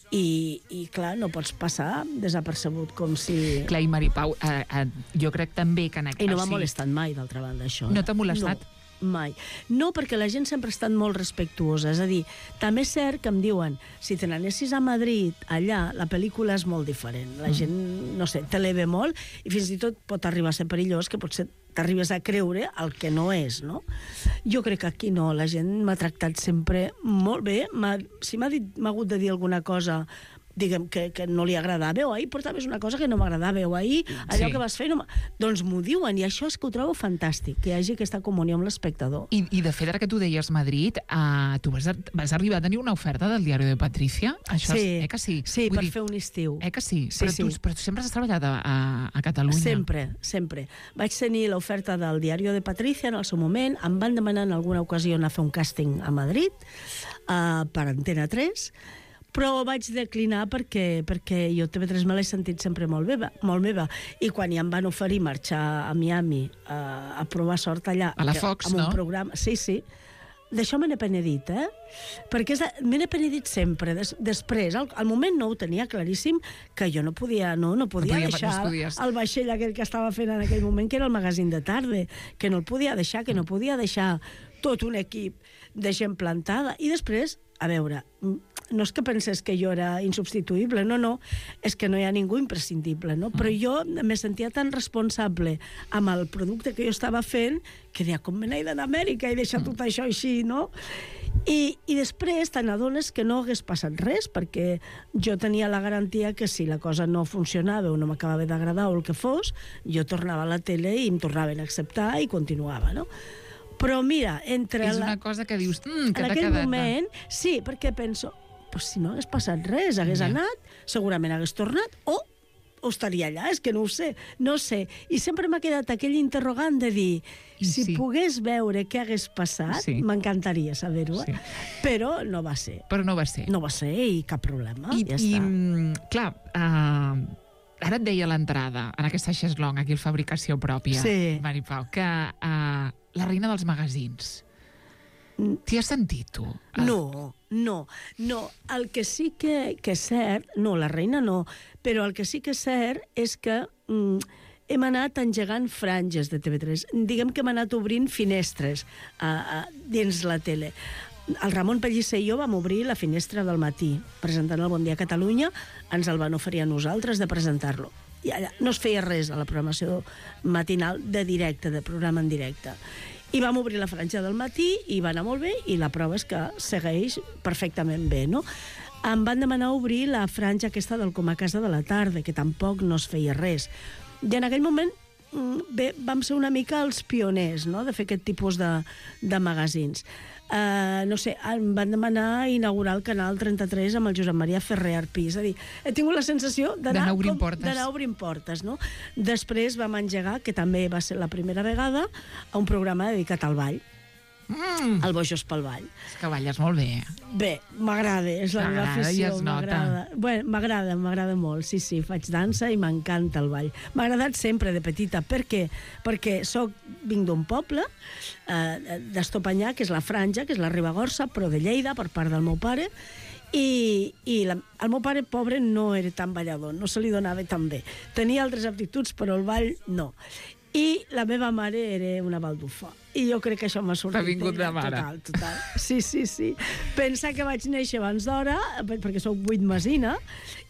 i, i clar, no pots passar desapercebut com si... Clar, i Maripau, eh, eh, jo crec també que en aquest... I no m'ha o sigui, molestat mai, d'altra banda, això. No t'ha molestat? No, mai. No, perquè la gent sempre ha estat molt respectuosa. És a dir, també és cert que em diuen si te n'anessis a Madrid, allà, la pel·lícula és molt diferent. La gent, no sé, te l'eve molt i fins i tot pot arribar a ser perillós, que potser t'arribes a creure el que no és, no? Jo crec que aquí no, la gent m'ha tractat sempre molt bé. Si m'ha dit, m'ha hagut de dir alguna cosa, diguem, que, que no li agradava, o ahir portaves una cosa que no m'agradava, o ahir allò Sí. que vas fer... No doncs m'ho diuen, i això és que ho trobo fantàstic, que hi hagi aquesta comunió amb l'espectador. I, I de fet, ara que tu deies Madrid, uh, tu vas, a, vas arribar a tenir una oferta del Diari de Patricia? Això Sí, és, eh que sí? sí, Vull per dir, fer un estiu. Eh que sí? Sí, però, sí. Tu, però tu sempre has treballat a, a, a Catalunya. Sempre, sempre. Vaig tenir l'oferta del Diari de Patricia en el seu moment, em van demanar en alguna ocasió anar a fer un càsting a Madrid, uh, per Antena tres, però vaig declinar perquè, perquè jo T V tres me l'he sentit sempre molt meva, molt meva. I quan ja em van oferir marxar a Miami a, a provar sort allà... A la que- Fox, amb no? un programa, sí, sí. D'això me n'he penedit, eh? Perquè és de- me n'he penedit sempre. Des, després, al, al moment no ho tenia claríssim, que jo no podia, no, no podia, podia- no deixar es podies. el vaixell aquell que estava fent en aquell moment, que era el magazín de tarda, que no el podia deixar, que no podia deixar tot un equip de gent plantada. I després, a veure, no és que pensés que jo era insubstituïble, no, no, és que no hi ha ningú imprescindible, no? Però jo me sentia tan responsable amb el producte que jo estava fent que deia, com me n'he d'anar a Amèrica i deixar tot això així, no? I, i després te n'adones que no hagués passat res, perquè jo tenia la garantia que si la cosa no funcionava o no m'acabava d'agradar o el que fos, jo tornava a la tele i em tornaven a acceptar i continuava, no? Però mira, entre... És la... una cosa que dius, mm, que en t'ha aquell quedat... moment, sí, perquè penso, pues si no hagués passat res, hagués Ja. anat, segurament hagués tornat, o, o estaria allà, és que no ho sé, no sé. I sempre m'ha quedat aquell interrogant de dir, I si sí. pogués veure què hagués passat, Sí. m'encantaria saber-ho, eh? Sí. Però no va ser. Però no va ser. No va ser i cap problema, I, ja i està. mm, clar, uh, ara et deia a l'entrada, en aquesta xeslong, aquí el Fabricació Pròpia, Sí. Maripau, que uh, la reina dels magazins. T'hi has sentit, tu? El- No, no, no. El que sí que, que és cert, no, la reina no, però el que sí que és cert és que mm, hem anat engegant franges de T V tres. Diguem que hem anat obrint finestres a, a, dins la tele. El Ramon Pellicer i jo vam obrir la finestra del matí, presentant el Bon Dia Catalunya, ens el van oferir a nosaltres de presentar-lo. I allà no es feia res a la programació matinal de directe, de programa en directe. I vam obrir la franja del matí i va anar molt bé, i la prova és que segueix perfectament bé, no? Em van demanar obrir la franja aquesta del Com a casa de la tarda, que tampoc no es feia res. I en aquell moment mm, bé, vam ser una mica els pioners, no?, de fer aquest tipus de, de magazins. Uh, no sé, em van demanar inaugurar el canal trenta-tres amb el Josep Maria Ferrer Arpí. És a dir, he tingut la sensació d'anar D'anar obrint com- portes. d'anar obrint portes, no? Després vam engegar, que també va ser la primera vegada, a un programa dedicat al ball, Mm, al Bojos pel Ball. és que balles molt bé. Bé, m'agrada, és la meva T'agrada i afició, es nota. m'agrada. Bé, m'agrada, m'agrada molt, sí, sí, faig dansa i m'encanta el ball. M'ha agradat sempre de petita, per què? Perquè soc, vinc d'un poble, eh, d'Estopanyà, que és la Franja, que és la Ribagorça, però de Lleida, per part del meu pare, i, i la, el meu pare, pobre, no era tan ballador, no se li donava tan bé. Tenia altres aptituds, però el ball no. I la meva mare era una baldufa. I jo crec que això m'ha sortit. T'ha vingut de mare. Total, total. Sí, sí, sí. Pensa que vaig néixer abans d'hora, perquè sóc vuit mesina,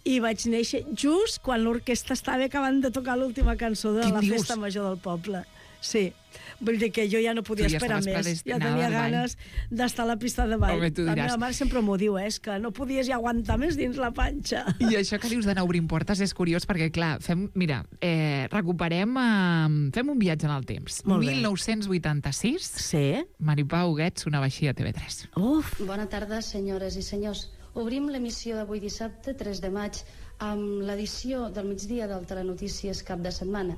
i vaig néixer just quan l'orquestra estava acabant de tocar l'última cançó de Què la dius? festa major del poble. Sí. Vull dir que jo ja no podia Tu ja esperar estaves més. Ja predestinada tenia al ball. ganes d'estar a la pista de ball. Home, tu la diràs. meva mare sempre m'ho diu, eh, és que no podies ja aguantar més dins la panxa. I això que dius d'anar obrint portes és curiós perquè, clar, fem, mira, eh, recuperem, eh, fem un viatge en el temps. Molt bé. mil nou-cents vuitanta-sis, Sí? Maripau Huguet sonava així a T V tres. Uf, Bona tarda, senyores i senyors. Obrim l'emissió d'avui dissabte, tres de maig, amb l'edició del migdia del Telenotícies cap de setmana.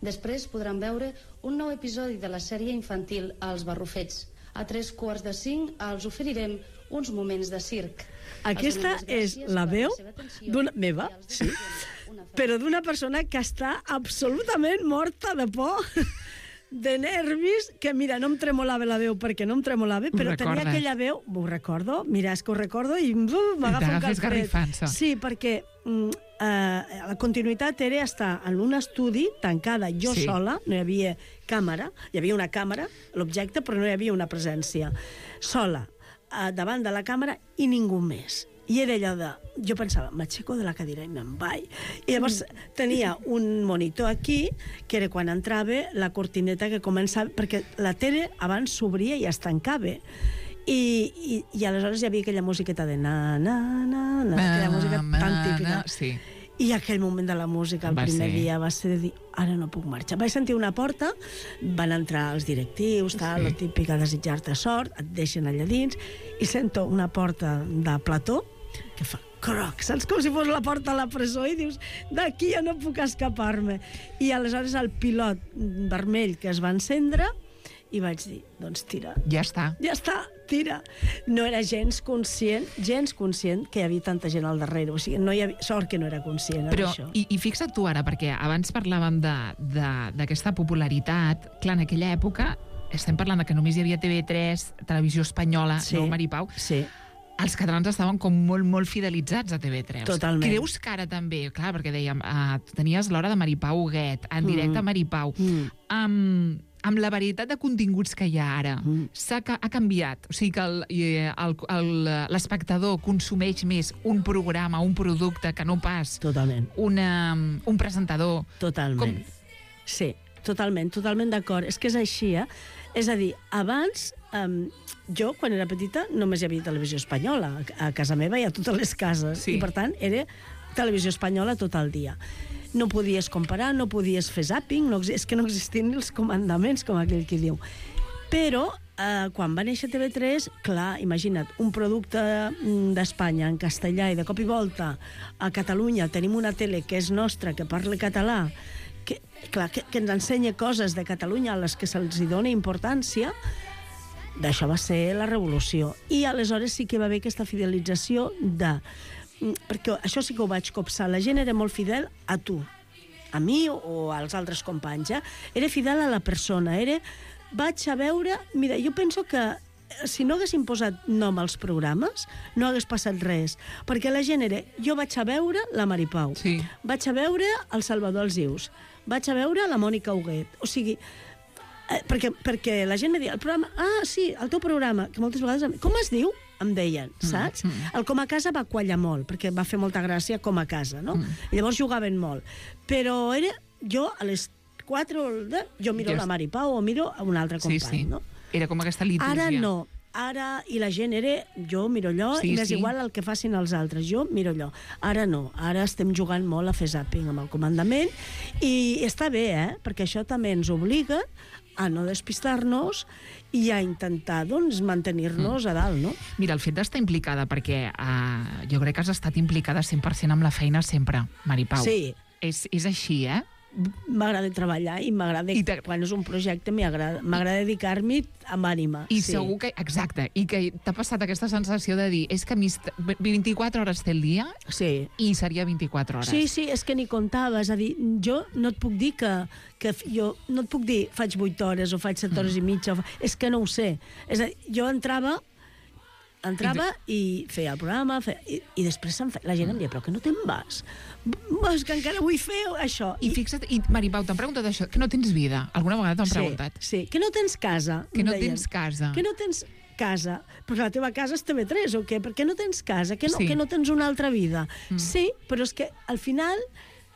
Després podran veure un nou episodi de la sèrie infantil Els Barrufets. A tres quarts de cinc els oferirem uns moments de circ. Aquesta és la veu d'una meva, sí, però d'una persona que està absolutament morta de por, de nervis, que mira, no em tremolava la veu perquè no em tremolava, però tenia aquella veu, ho recordo, mira, és que ho recordo i uh, m'agafa un calfred. Sí, perquè mm, eh, la continuïtat era estar en un estudi tancada, jo sí. sola, no hi havia càmera, hi havia una càmera, l'objecte, però no hi havia una presència. Sola, eh, davant de la càmera i ningú més. I era allò de... Jo pensava, m'aixeco de la cadira i me'n vaig. I llavors tenia un monitor aquí, que era quan entrava la cortineta que començava... Perquè la tele abans s'obria i es tancava. I, i, i aleshores hi havia aquella musiqueta de na, na, na, na, aquella música tan típica. Sí. I aquell moment de la música, el va primer ser. dia, va ser de dir, ara no puc marxar. Vaig sentir una porta, van entrar els directius, tal, sí. la típica desitjar-te sort, et deixen allà dins, i sento una porta de plató, que fa croc, saps? Com si fos la porta a la presó i dius, d'aquí ja no puc escapar-me. I aleshores el pilot vermell que es va encendre i vaig dir, doncs tira. Ja està. Ja està, tira. No era gens conscient, gens conscient que hi havia tanta gent al darrere. O sigui, no hi havia... Sort que no era conscient Però, d'això. I, i fixa't tu ara, perquè abans parlàvem d'aquesta popularitat. Clar, en aquella època, estem parlant de que només hi havia T V tres, Televisió Espanyola, sí. no Maripau. Sí. Els catalans estaven com molt, molt fidelitzats a T V tres. Totalment. Creus que ara també, clar, perquè dèiem, uh, tenies l'hora de Maripau Huguet, en directe a Maripau, mm. amb, amb la varietat de continguts que hi ha ara, mm. s'ha ha canviat. O sigui que l'espectador consumeix més un programa, un producte, que no pas Totalment. Una, un presentador. Totalment. Com... Sí, totalment, totalment d'acord. És que és així, eh? És a dir, abans... Um, jo, quan era petita, només hi havia Televisió Espanyola. A casa meva hi ha totes les cases. Sí. I, per tant, era Televisió Espanyola tot el dia. No podies comparar, no podies fer zàping, no, és que no existien els comandaments, com aquell que diu. Però, eh, quan va néixer T V tres, clar, imagina't, un producte d'Espanya en castellà i de cop i volta a Catalunya tenim una tele que és nostra, que parla català, que, clar, que, que ens ensenya coses de Catalunya a les que se'ls dona importància. D'això va ser la revolució. I aleshores sí que va haver aquesta fidelització de... Perquè això sí que ho vaig copsar. La gent era molt fidel a tu, a mi o als altres companys. Eh? Era fidel a la persona. Era... Vaig a veure... Mira, jo penso que si no haguessin posat nom als programes, no hagués passat res. Perquè la gent era... Jo vaig a veure la Maripau. Sí. Vaig a veure el Salvador Alsius. Vaig a veure la Mònica Huguet. O sigui... Eh, perquè, perquè la gent me deia, el programa, ah, sí, el teu programa, que moltes vegades, com es diu? Em deien, saps? Mm, mm. El Com a Casa va quallar molt, perquè va fer molta gràcia Com a Casa, no? Mm. Llavors jugaven molt. Però era, jo a les quatre, de, jo miro Just... la Maripau o miro a un altre company, sí, sí. no? Era com aquesta litúrgia. Ara no. Ara, i la gent era, jo miro allò, sí, i m'és sí. igual el que facin els altres, jo miro allò. Ara no, ara estem jugant molt a fer zàping amb el comandament, i està bé, eh? Perquè això també ens obliga a no despistar-nos i a intentar, doncs, mantenir-nos mm. a dalt, no? Mira, el fet d'estar implicada, perquè uh, jo crec que has estat implicada cent per cent amb la feina sempre, Maripau. Sí. És, és així, eh? M'agrada treballar i m'agrada, quan és un projecte, m'agrada dedicar-m'hi amb ànima. I sí. segur que, exacte, i que t'ha passat aquesta sensació de dir, és que vint-i-quatre hores té el dia sí. i seria vint-i-quatre hores. Sí, sí, és que ni comptava, és a dir, jo no et puc dir que, que jo no et puc dir faig vuit hores o faig set hores mm. i mitja, o, és que no ho sé. És a dir, jo entrava entrava i, i feia el programa, feia, i, i després feia, la gent em deia, però que no te'n vas? És que encara vull fer això. I, I fixa't, i Maripau, t'han preguntat això, que no tens vida? Alguna vegada t'han sí, preguntat? Sí, que no tens casa. Que no deien. tens casa. Que no tens casa. Però la teva casa és T V tres, o què? Per què no tens casa? Que no, sí. que no tens una altra vida? Mm. Sí, però és que al final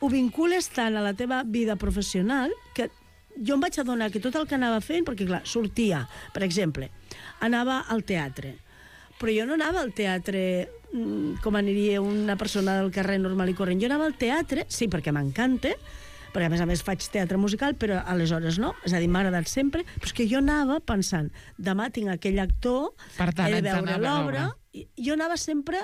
ho vincules tant a la teva vida professional que jo em vaig adonar que tot el que anava fent, perquè clar, sortia, per exemple, anava al teatre, però jo no anava al teatre com aniria una persona del carrer normal i corrent. Jo anava al teatre, sí, perquè m'encanta, perquè a més a més faig teatre musical, però aleshores no, és a dir, m'ha agradat sempre, però és que jo anava pensant, demà tinc aquell actor, per tant, he de veure l'obra, jo anava sempre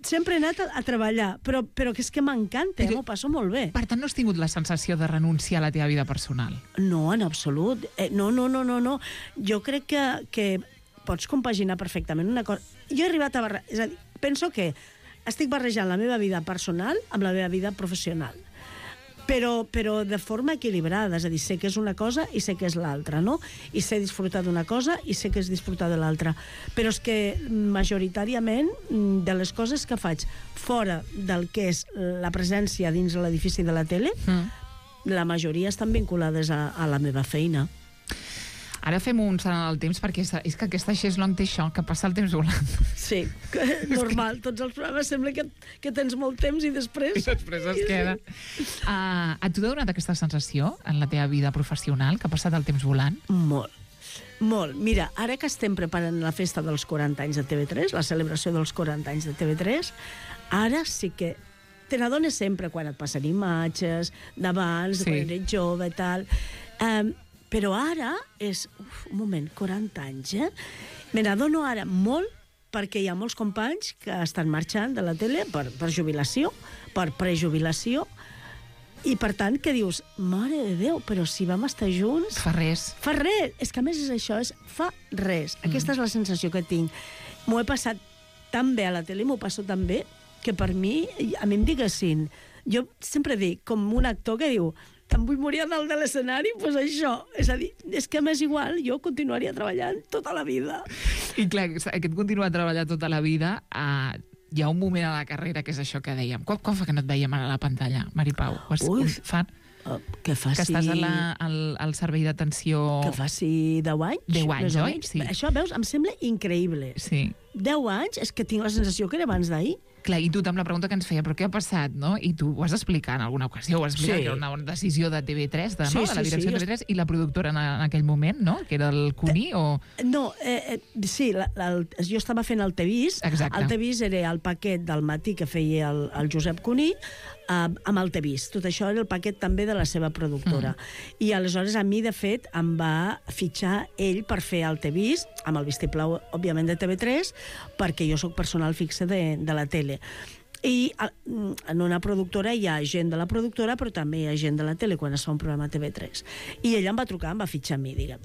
sempre he anat a, a treballar, però, però que és que m'encanta, eh? M'ho passo molt bé. Per tant, no has tingut la sensació de renunciar a la teva vida personal? No, en absolut. Eh, no, no, no, no, no. Jo crec que, que pots compaginar perfectament una cosa. Jo he arribat a barrejar... És a dir, penso que estic barrejant la meva vida personal amb la meva vida professional. Però, però de forma equilibrada, és a dir, sé que és una cosa i sé que és l'altra, no? I sé disfrutar d'una cosa i sé que és disfrutar de l'altra. Però és que majoritàriament de les coses que faig fora del que és la presència dins l'edifici de la tele, mm. la majoria estan vinculades a, a la meva feina. Ara fem un salt en el temps, perquè és, és que aquesta Chaiselong té això, que passa el temps volant. Sí, normal. Tots els programes sembla que, que tens molt temps i després... I després es queda. Uh, a tu t'ha donat aquesta sensació en la teva vida professional, que ha passat el temps volant? Molt. Molt. Mira, ara que estem preparant la festa dels quaranta anys de T V tres, la celebració dels quaranta anys de T V tres, ara sí que te n'adones sempre quan et passen imatges d'abans, sí. Quan eres jove i tal... Um, Però ara és... Uf, un moment, quaranta anys, eh? Me n'adono ara molt perquè hi ha molts companys que estan marxant de la tele per, per jubilació, per prejubilació, i per tant que dius, mare de Déu, però si vam estar junts... Fa res. Fa res. És que a més és això, és fa res. Mm. Aquesta és la sensació que tinc. M'ho he passat tan bé a la tele, m'ho passo tan bé, que per mi, a mi em diguessin... Jo sempre dic, com un actor que diu... em vull morir a dalt de l'escenari, doncs això. És a dir, és que m'és igual, jo continuaria treballant tota la vida. I clar, aquest continuar treballant tota la vida, uh, hi ha un moment a la carrera que és això que dèiem. Quan, quan fa que no et veiem a la pantalla, Mari Pau? Ui, fa... Uh, que faci... Que estàs a la, al, al servei d'atenció... Que faci deu anys. Deu anys, oi? Sí. Això, veus, em sembla increïble. Sí. Deu anys, és que tinc la sensació que era abans d'ahir. Clar, i tu amb la pregunta que ens feia, però què ha passat, no? I tu ho has d'explicar en alguna ocasió, ho has explicat, Sí. que era una decisió de T V tres, de, Sí, no? de la sí, direcció sí. de T V tres, i la productora en, en aquell moment, no? Que era el Cuní, o... No, eh, eh, sí, la, la, el, jo estava fent el T V I S. Exacte. El T V I S era el paquet del matí que feia el, el Josep Cuní, eh, amb el T V I S. Tot això era el paquet també de la seva productora. Mm. I aleshores a mi, de fet, em va fitxar ell per fer el T V I S, amb el vistiplau, òbviament, de T V tres, perquè jo sóc personal fixe de, de la tele. I en una productora hi ha gent de la productora, però també hi ha gent de la tele quan es fa un programa a T V tres. I ella em va trucar, em va fitxar a mi, diguem.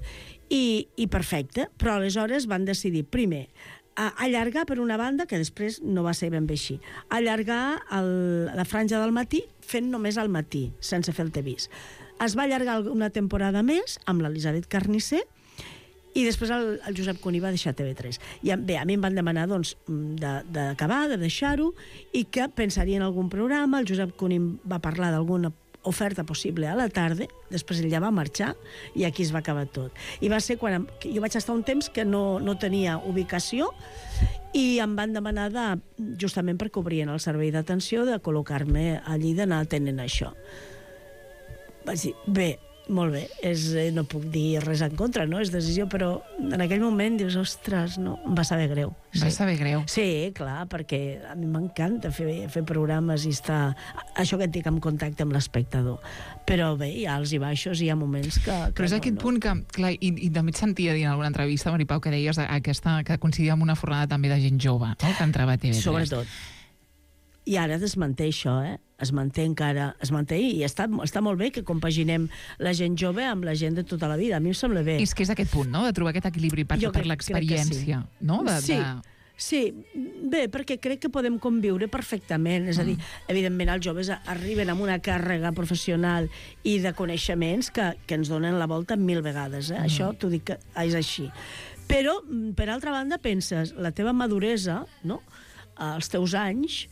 I, i perfecte, però aleshores van decidir, primer, a allargar per una banda, que després no va ser ben bé així, allargar el, la franja del matí fent només al matí, sense fer el T V I S. Es va allargar una temporada més amb l'Elisabet Carnicer, i després el, el Josep Cuní va deixar T V tres. I bé, a mi em van demanar doncs, d'acabar, de, de deixar-ho, i que pensaria en algun programa. El Josep Cuní va parlar d'alguna oferta possible a la tarda, després ell ja va marxar, i aquí es va acabar tot. I va ser quan em, jo vaig estar un temps que no, no tenia ubicació, i em van demanar, de, justament perquè obrien el servei d'atenció, de col·locar-me allí, d'anar atenent això. Vaig dir, bé, molt bé, és, no puc dir res en contra, no? És decisió, però en aquell moment dius, ostres, no, em va saber greu. Sí. Va saber greu. Sí, clar, perquè a mi m'encanta fer, fer programes i estar, això que et dic, en contacte amb l'espectador. Però bé, hi ha alts i baixos, i hi ha moments que... que però és no, aquest no. punt que, clar, i, i també et sentia dir en alguna entrevista, Mari Pau, que deies aquesta, que coincidia amb una fornada també de gent jove, no?, que entrava a T V tres. Sobretot. I ara es manté això, eh? Es manté encara, es manté, i està, està molt bé que compaginem la gent jove amb la gent de tota la vida. A mi em sembla bé. És que és aquest punt, no?, de trobar aquest equilibri per, per l'experiència, sí. No? De, sí. de... Sí, bé, perquè crec que podem conviure perfectament. És a dir, evidentment els joves arriben amb una càrrega professional i de coneixements que, que ens donen la volta mil vegades. Eh? Mm. Això t'ho dic que és així. Però, per altra banda, penses, la teva maduresa, no?, els teus anys,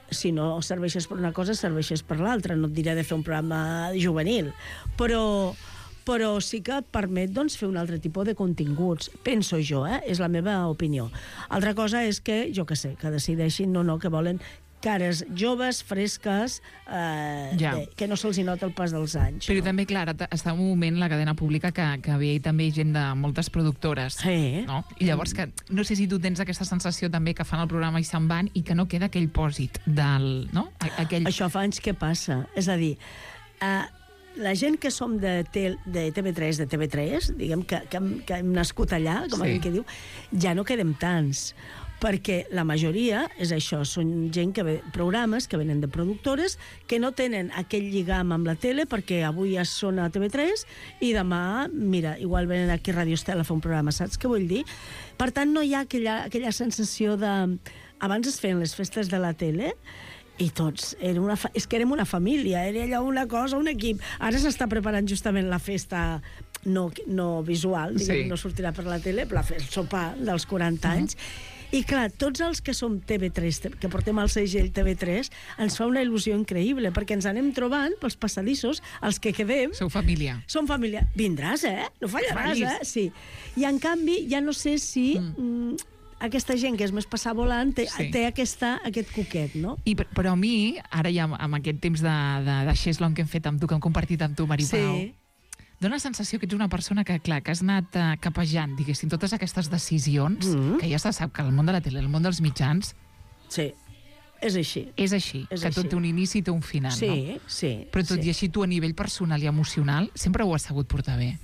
si no serveixes per una cosa, serveixes per l'altra. No et diré de fer un programa juvenil, però, però sí que et permet, doncs, fer un altre tipus de continguts. Penso jo, eh? És la meva opinió. Altra cosa és que, jo què sé, que decideixin, no, no, que volen cares joves, fresques, eh, ja. bé, que no se'ls hi nota el pas dels anys. Però no? també, clar, està en un moment la cadena pública que, que ve també gent de moltes productores. Sí. No? I llavors, que, no sé si tu tens aquesta sensació també que fan el programa i se'n van i que no queda aquell pòsit del... No? Aquell... Això fa anys que passa. És a dir, eh, la gent que som de, T V tres, de T V tres, diguem que, que, hem, que hem nascut allà, com sí. que diu, ja no quedem tants. perquè la majoria és això, són gent que ve, programes que venen de productores que no tenen aquell lligam amb la tele perquè avui ja són a T V tres i demà, mira, igual venen aquí a Radio Estela a fer un programa, saps què vull dir? Per tant, no hi ha aquella, aquella sensació de... Abans es feien les festes de la tele i tots, era una fa... és que érem una família, era allò una cosa, un equip. Ara s'està preparant justament la festa no, no visual, diguem, sí. No sortirà per la tele, però el sopar dels quaranta anys. Uh-huh. I clar, tots els que som T V tres, que portem el segell T V tres, ens fa una il·lusió increïble, perquè ens anem trobant pels passadissos, els que quedem... Sou família. Som família. Vindràs, eh? No fallaràs, eh? Sí. I en canvi, ja no sé si... Mm. aquesta gent que és més passar volant té, sí. té aquesta, aquest coquet, no? I, però a mi, ara ja amb aquest temps de, de, de xeslong que hem fet amb tu, que hem compartit amb tu, Maripau, sí. Dóna la sensació que ets una persona que, clar, que has anat uh, capejant, diguéssim, totes aquestes decisions, mm-hmm. que ja se sap que el món de la tele, el món dels mitjans... Sí, és així. És així, és que així. Tot té un inici i té un final, sí, no? Sí, Però tot sí. i així tu, a nivell personal i emocional, sempre ho has sabut portar bé.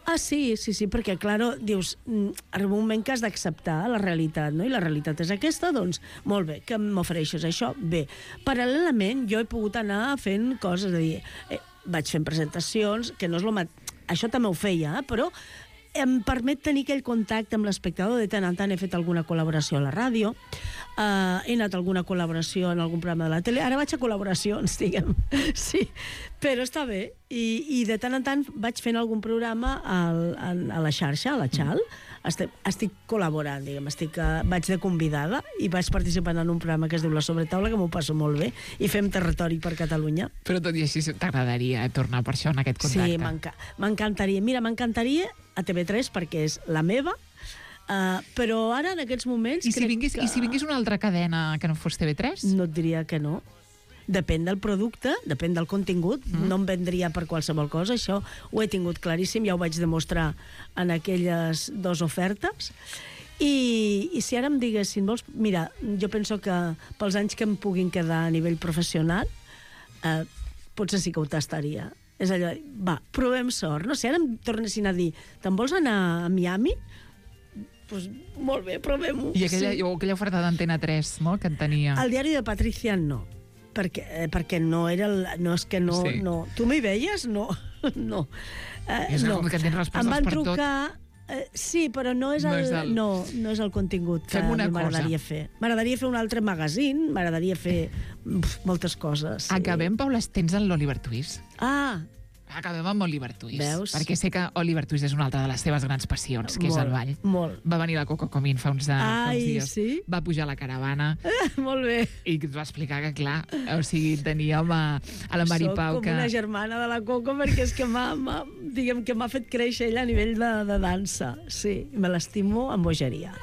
Ah, sí, sí, sí, perquè, clar, dius, arriba un moment que has d'acceptar la realitat, no? I la realitat és aquesta, doncs, molt bé, que m'ofereixes això? Bé. Paral·lelament, jo he pogut anar fent coses, és a dir, eh, vaig fent presentacions, que no és el mat... Això també ho feia, eh? Però em permet tenir aquell contacte amb l'espectador. De tant en tant he fet alguna col·laboració a la ràdio, uh, he anat a alguna col·laboració en algun programa de la tele, ara vaig a col·laboracions, diguem, sí, però està bé, i, i de tant en tant vaig fent algun programa al, a, a la xarxa, a la Xal, estic, estic col·laborant, diguem, estic, uh, vaig de convidada i vaig participant en un programa que es diu La Sobretaula, que m'ho passo molt bé, i fem territori per Catalunya. Però tot i així t'agradaria tornar per això en aquest contacte? Sí, m'encantaria. Mira, m'encantaria a T V tres perquè és la meva, uh, però ara en aquests moments... I si, vingués, que... I si vingués una altra cadena que no fos T V tres? No et diria que no. Depèn del producte, depèn del contingut, mm. no em vendria per qualsevol cosa, això ho he tingut claríssim, ja ho vaig demostrar en aquelles dues ofertes. I, i si ara em diguessin, vols... Mira, jo penso que pels anys que em puguin quedar a nivell professional, eh, potser sí que ho tastaria. És allò, va, provem sort. No sé, ara em tornessin a dir, te'n vols anar a Miami? Doncs pues, molt bé, provem-ho. I aquella, sí. aquella oferta d'Antena tres, no?, que en tenia. El diari de Patricia no, perquè, eh, perquè no era... El, no és que no... Sí. no. Tu m'hi veies? No. no. Eh, és no. que tens respostes em van per trucar, tot. Eh, sí, però no és, el, no, és el... No, no és el contingut que m'agradaria fer. M'agradaria fer un altre magazine, m'agradaria fer pf, moltes coses. Sí. Acabem, Paula, tens en l'Oliver Twist. Ah, Acabem amb Oliver Twist. Veus? Perquè sé que Oliver Twist és una altra de les teves grans passions, que molt, és el ball. Molt. Va venir la Coco Comín fa uns, Ai, fa uns dies. Sí? Va pujar a la caravana. Eh, molt bé. I et va explicar que, clar, o sigui, teníem a, a la Maripau Soc com que... una germana de la Coco, perquè és que m'ha, diguem que m'ha fet créixer ella a nivell de, de dansa. Sí, me l'estimo amb bogeria.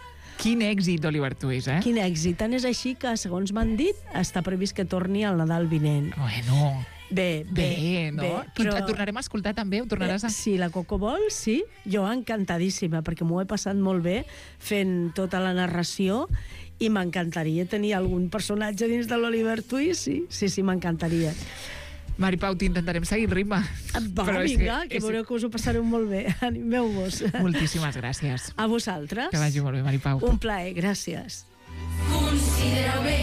Quin èxit, Oliver Twist, eh? Quin èxit. Tant és així que, segons m'han dit, està previst que torni al Nadal vinent. Bueno... Bé, bé, bé, no? Bé, però... Et tornarem a escoltar també? Ho tornaràs a... Si la Coco vol, sí. Jo encantadíssima, perquè m'ho he passat molt bé fent tota la narració i m'encantaria tenir algun personatge dins de l'Oliver Twist, sí, sí, sí, m'encantaria. Maripau, t'intentarem seguir el ritme. Va, però vinga, que, que és... veureu que us ho passareu molt bé. Animeu-vos. Moltíssimes gràcies. A vosaltres. Que vagi molt bé, Maripau. Un plaer, gràcies. Considera bé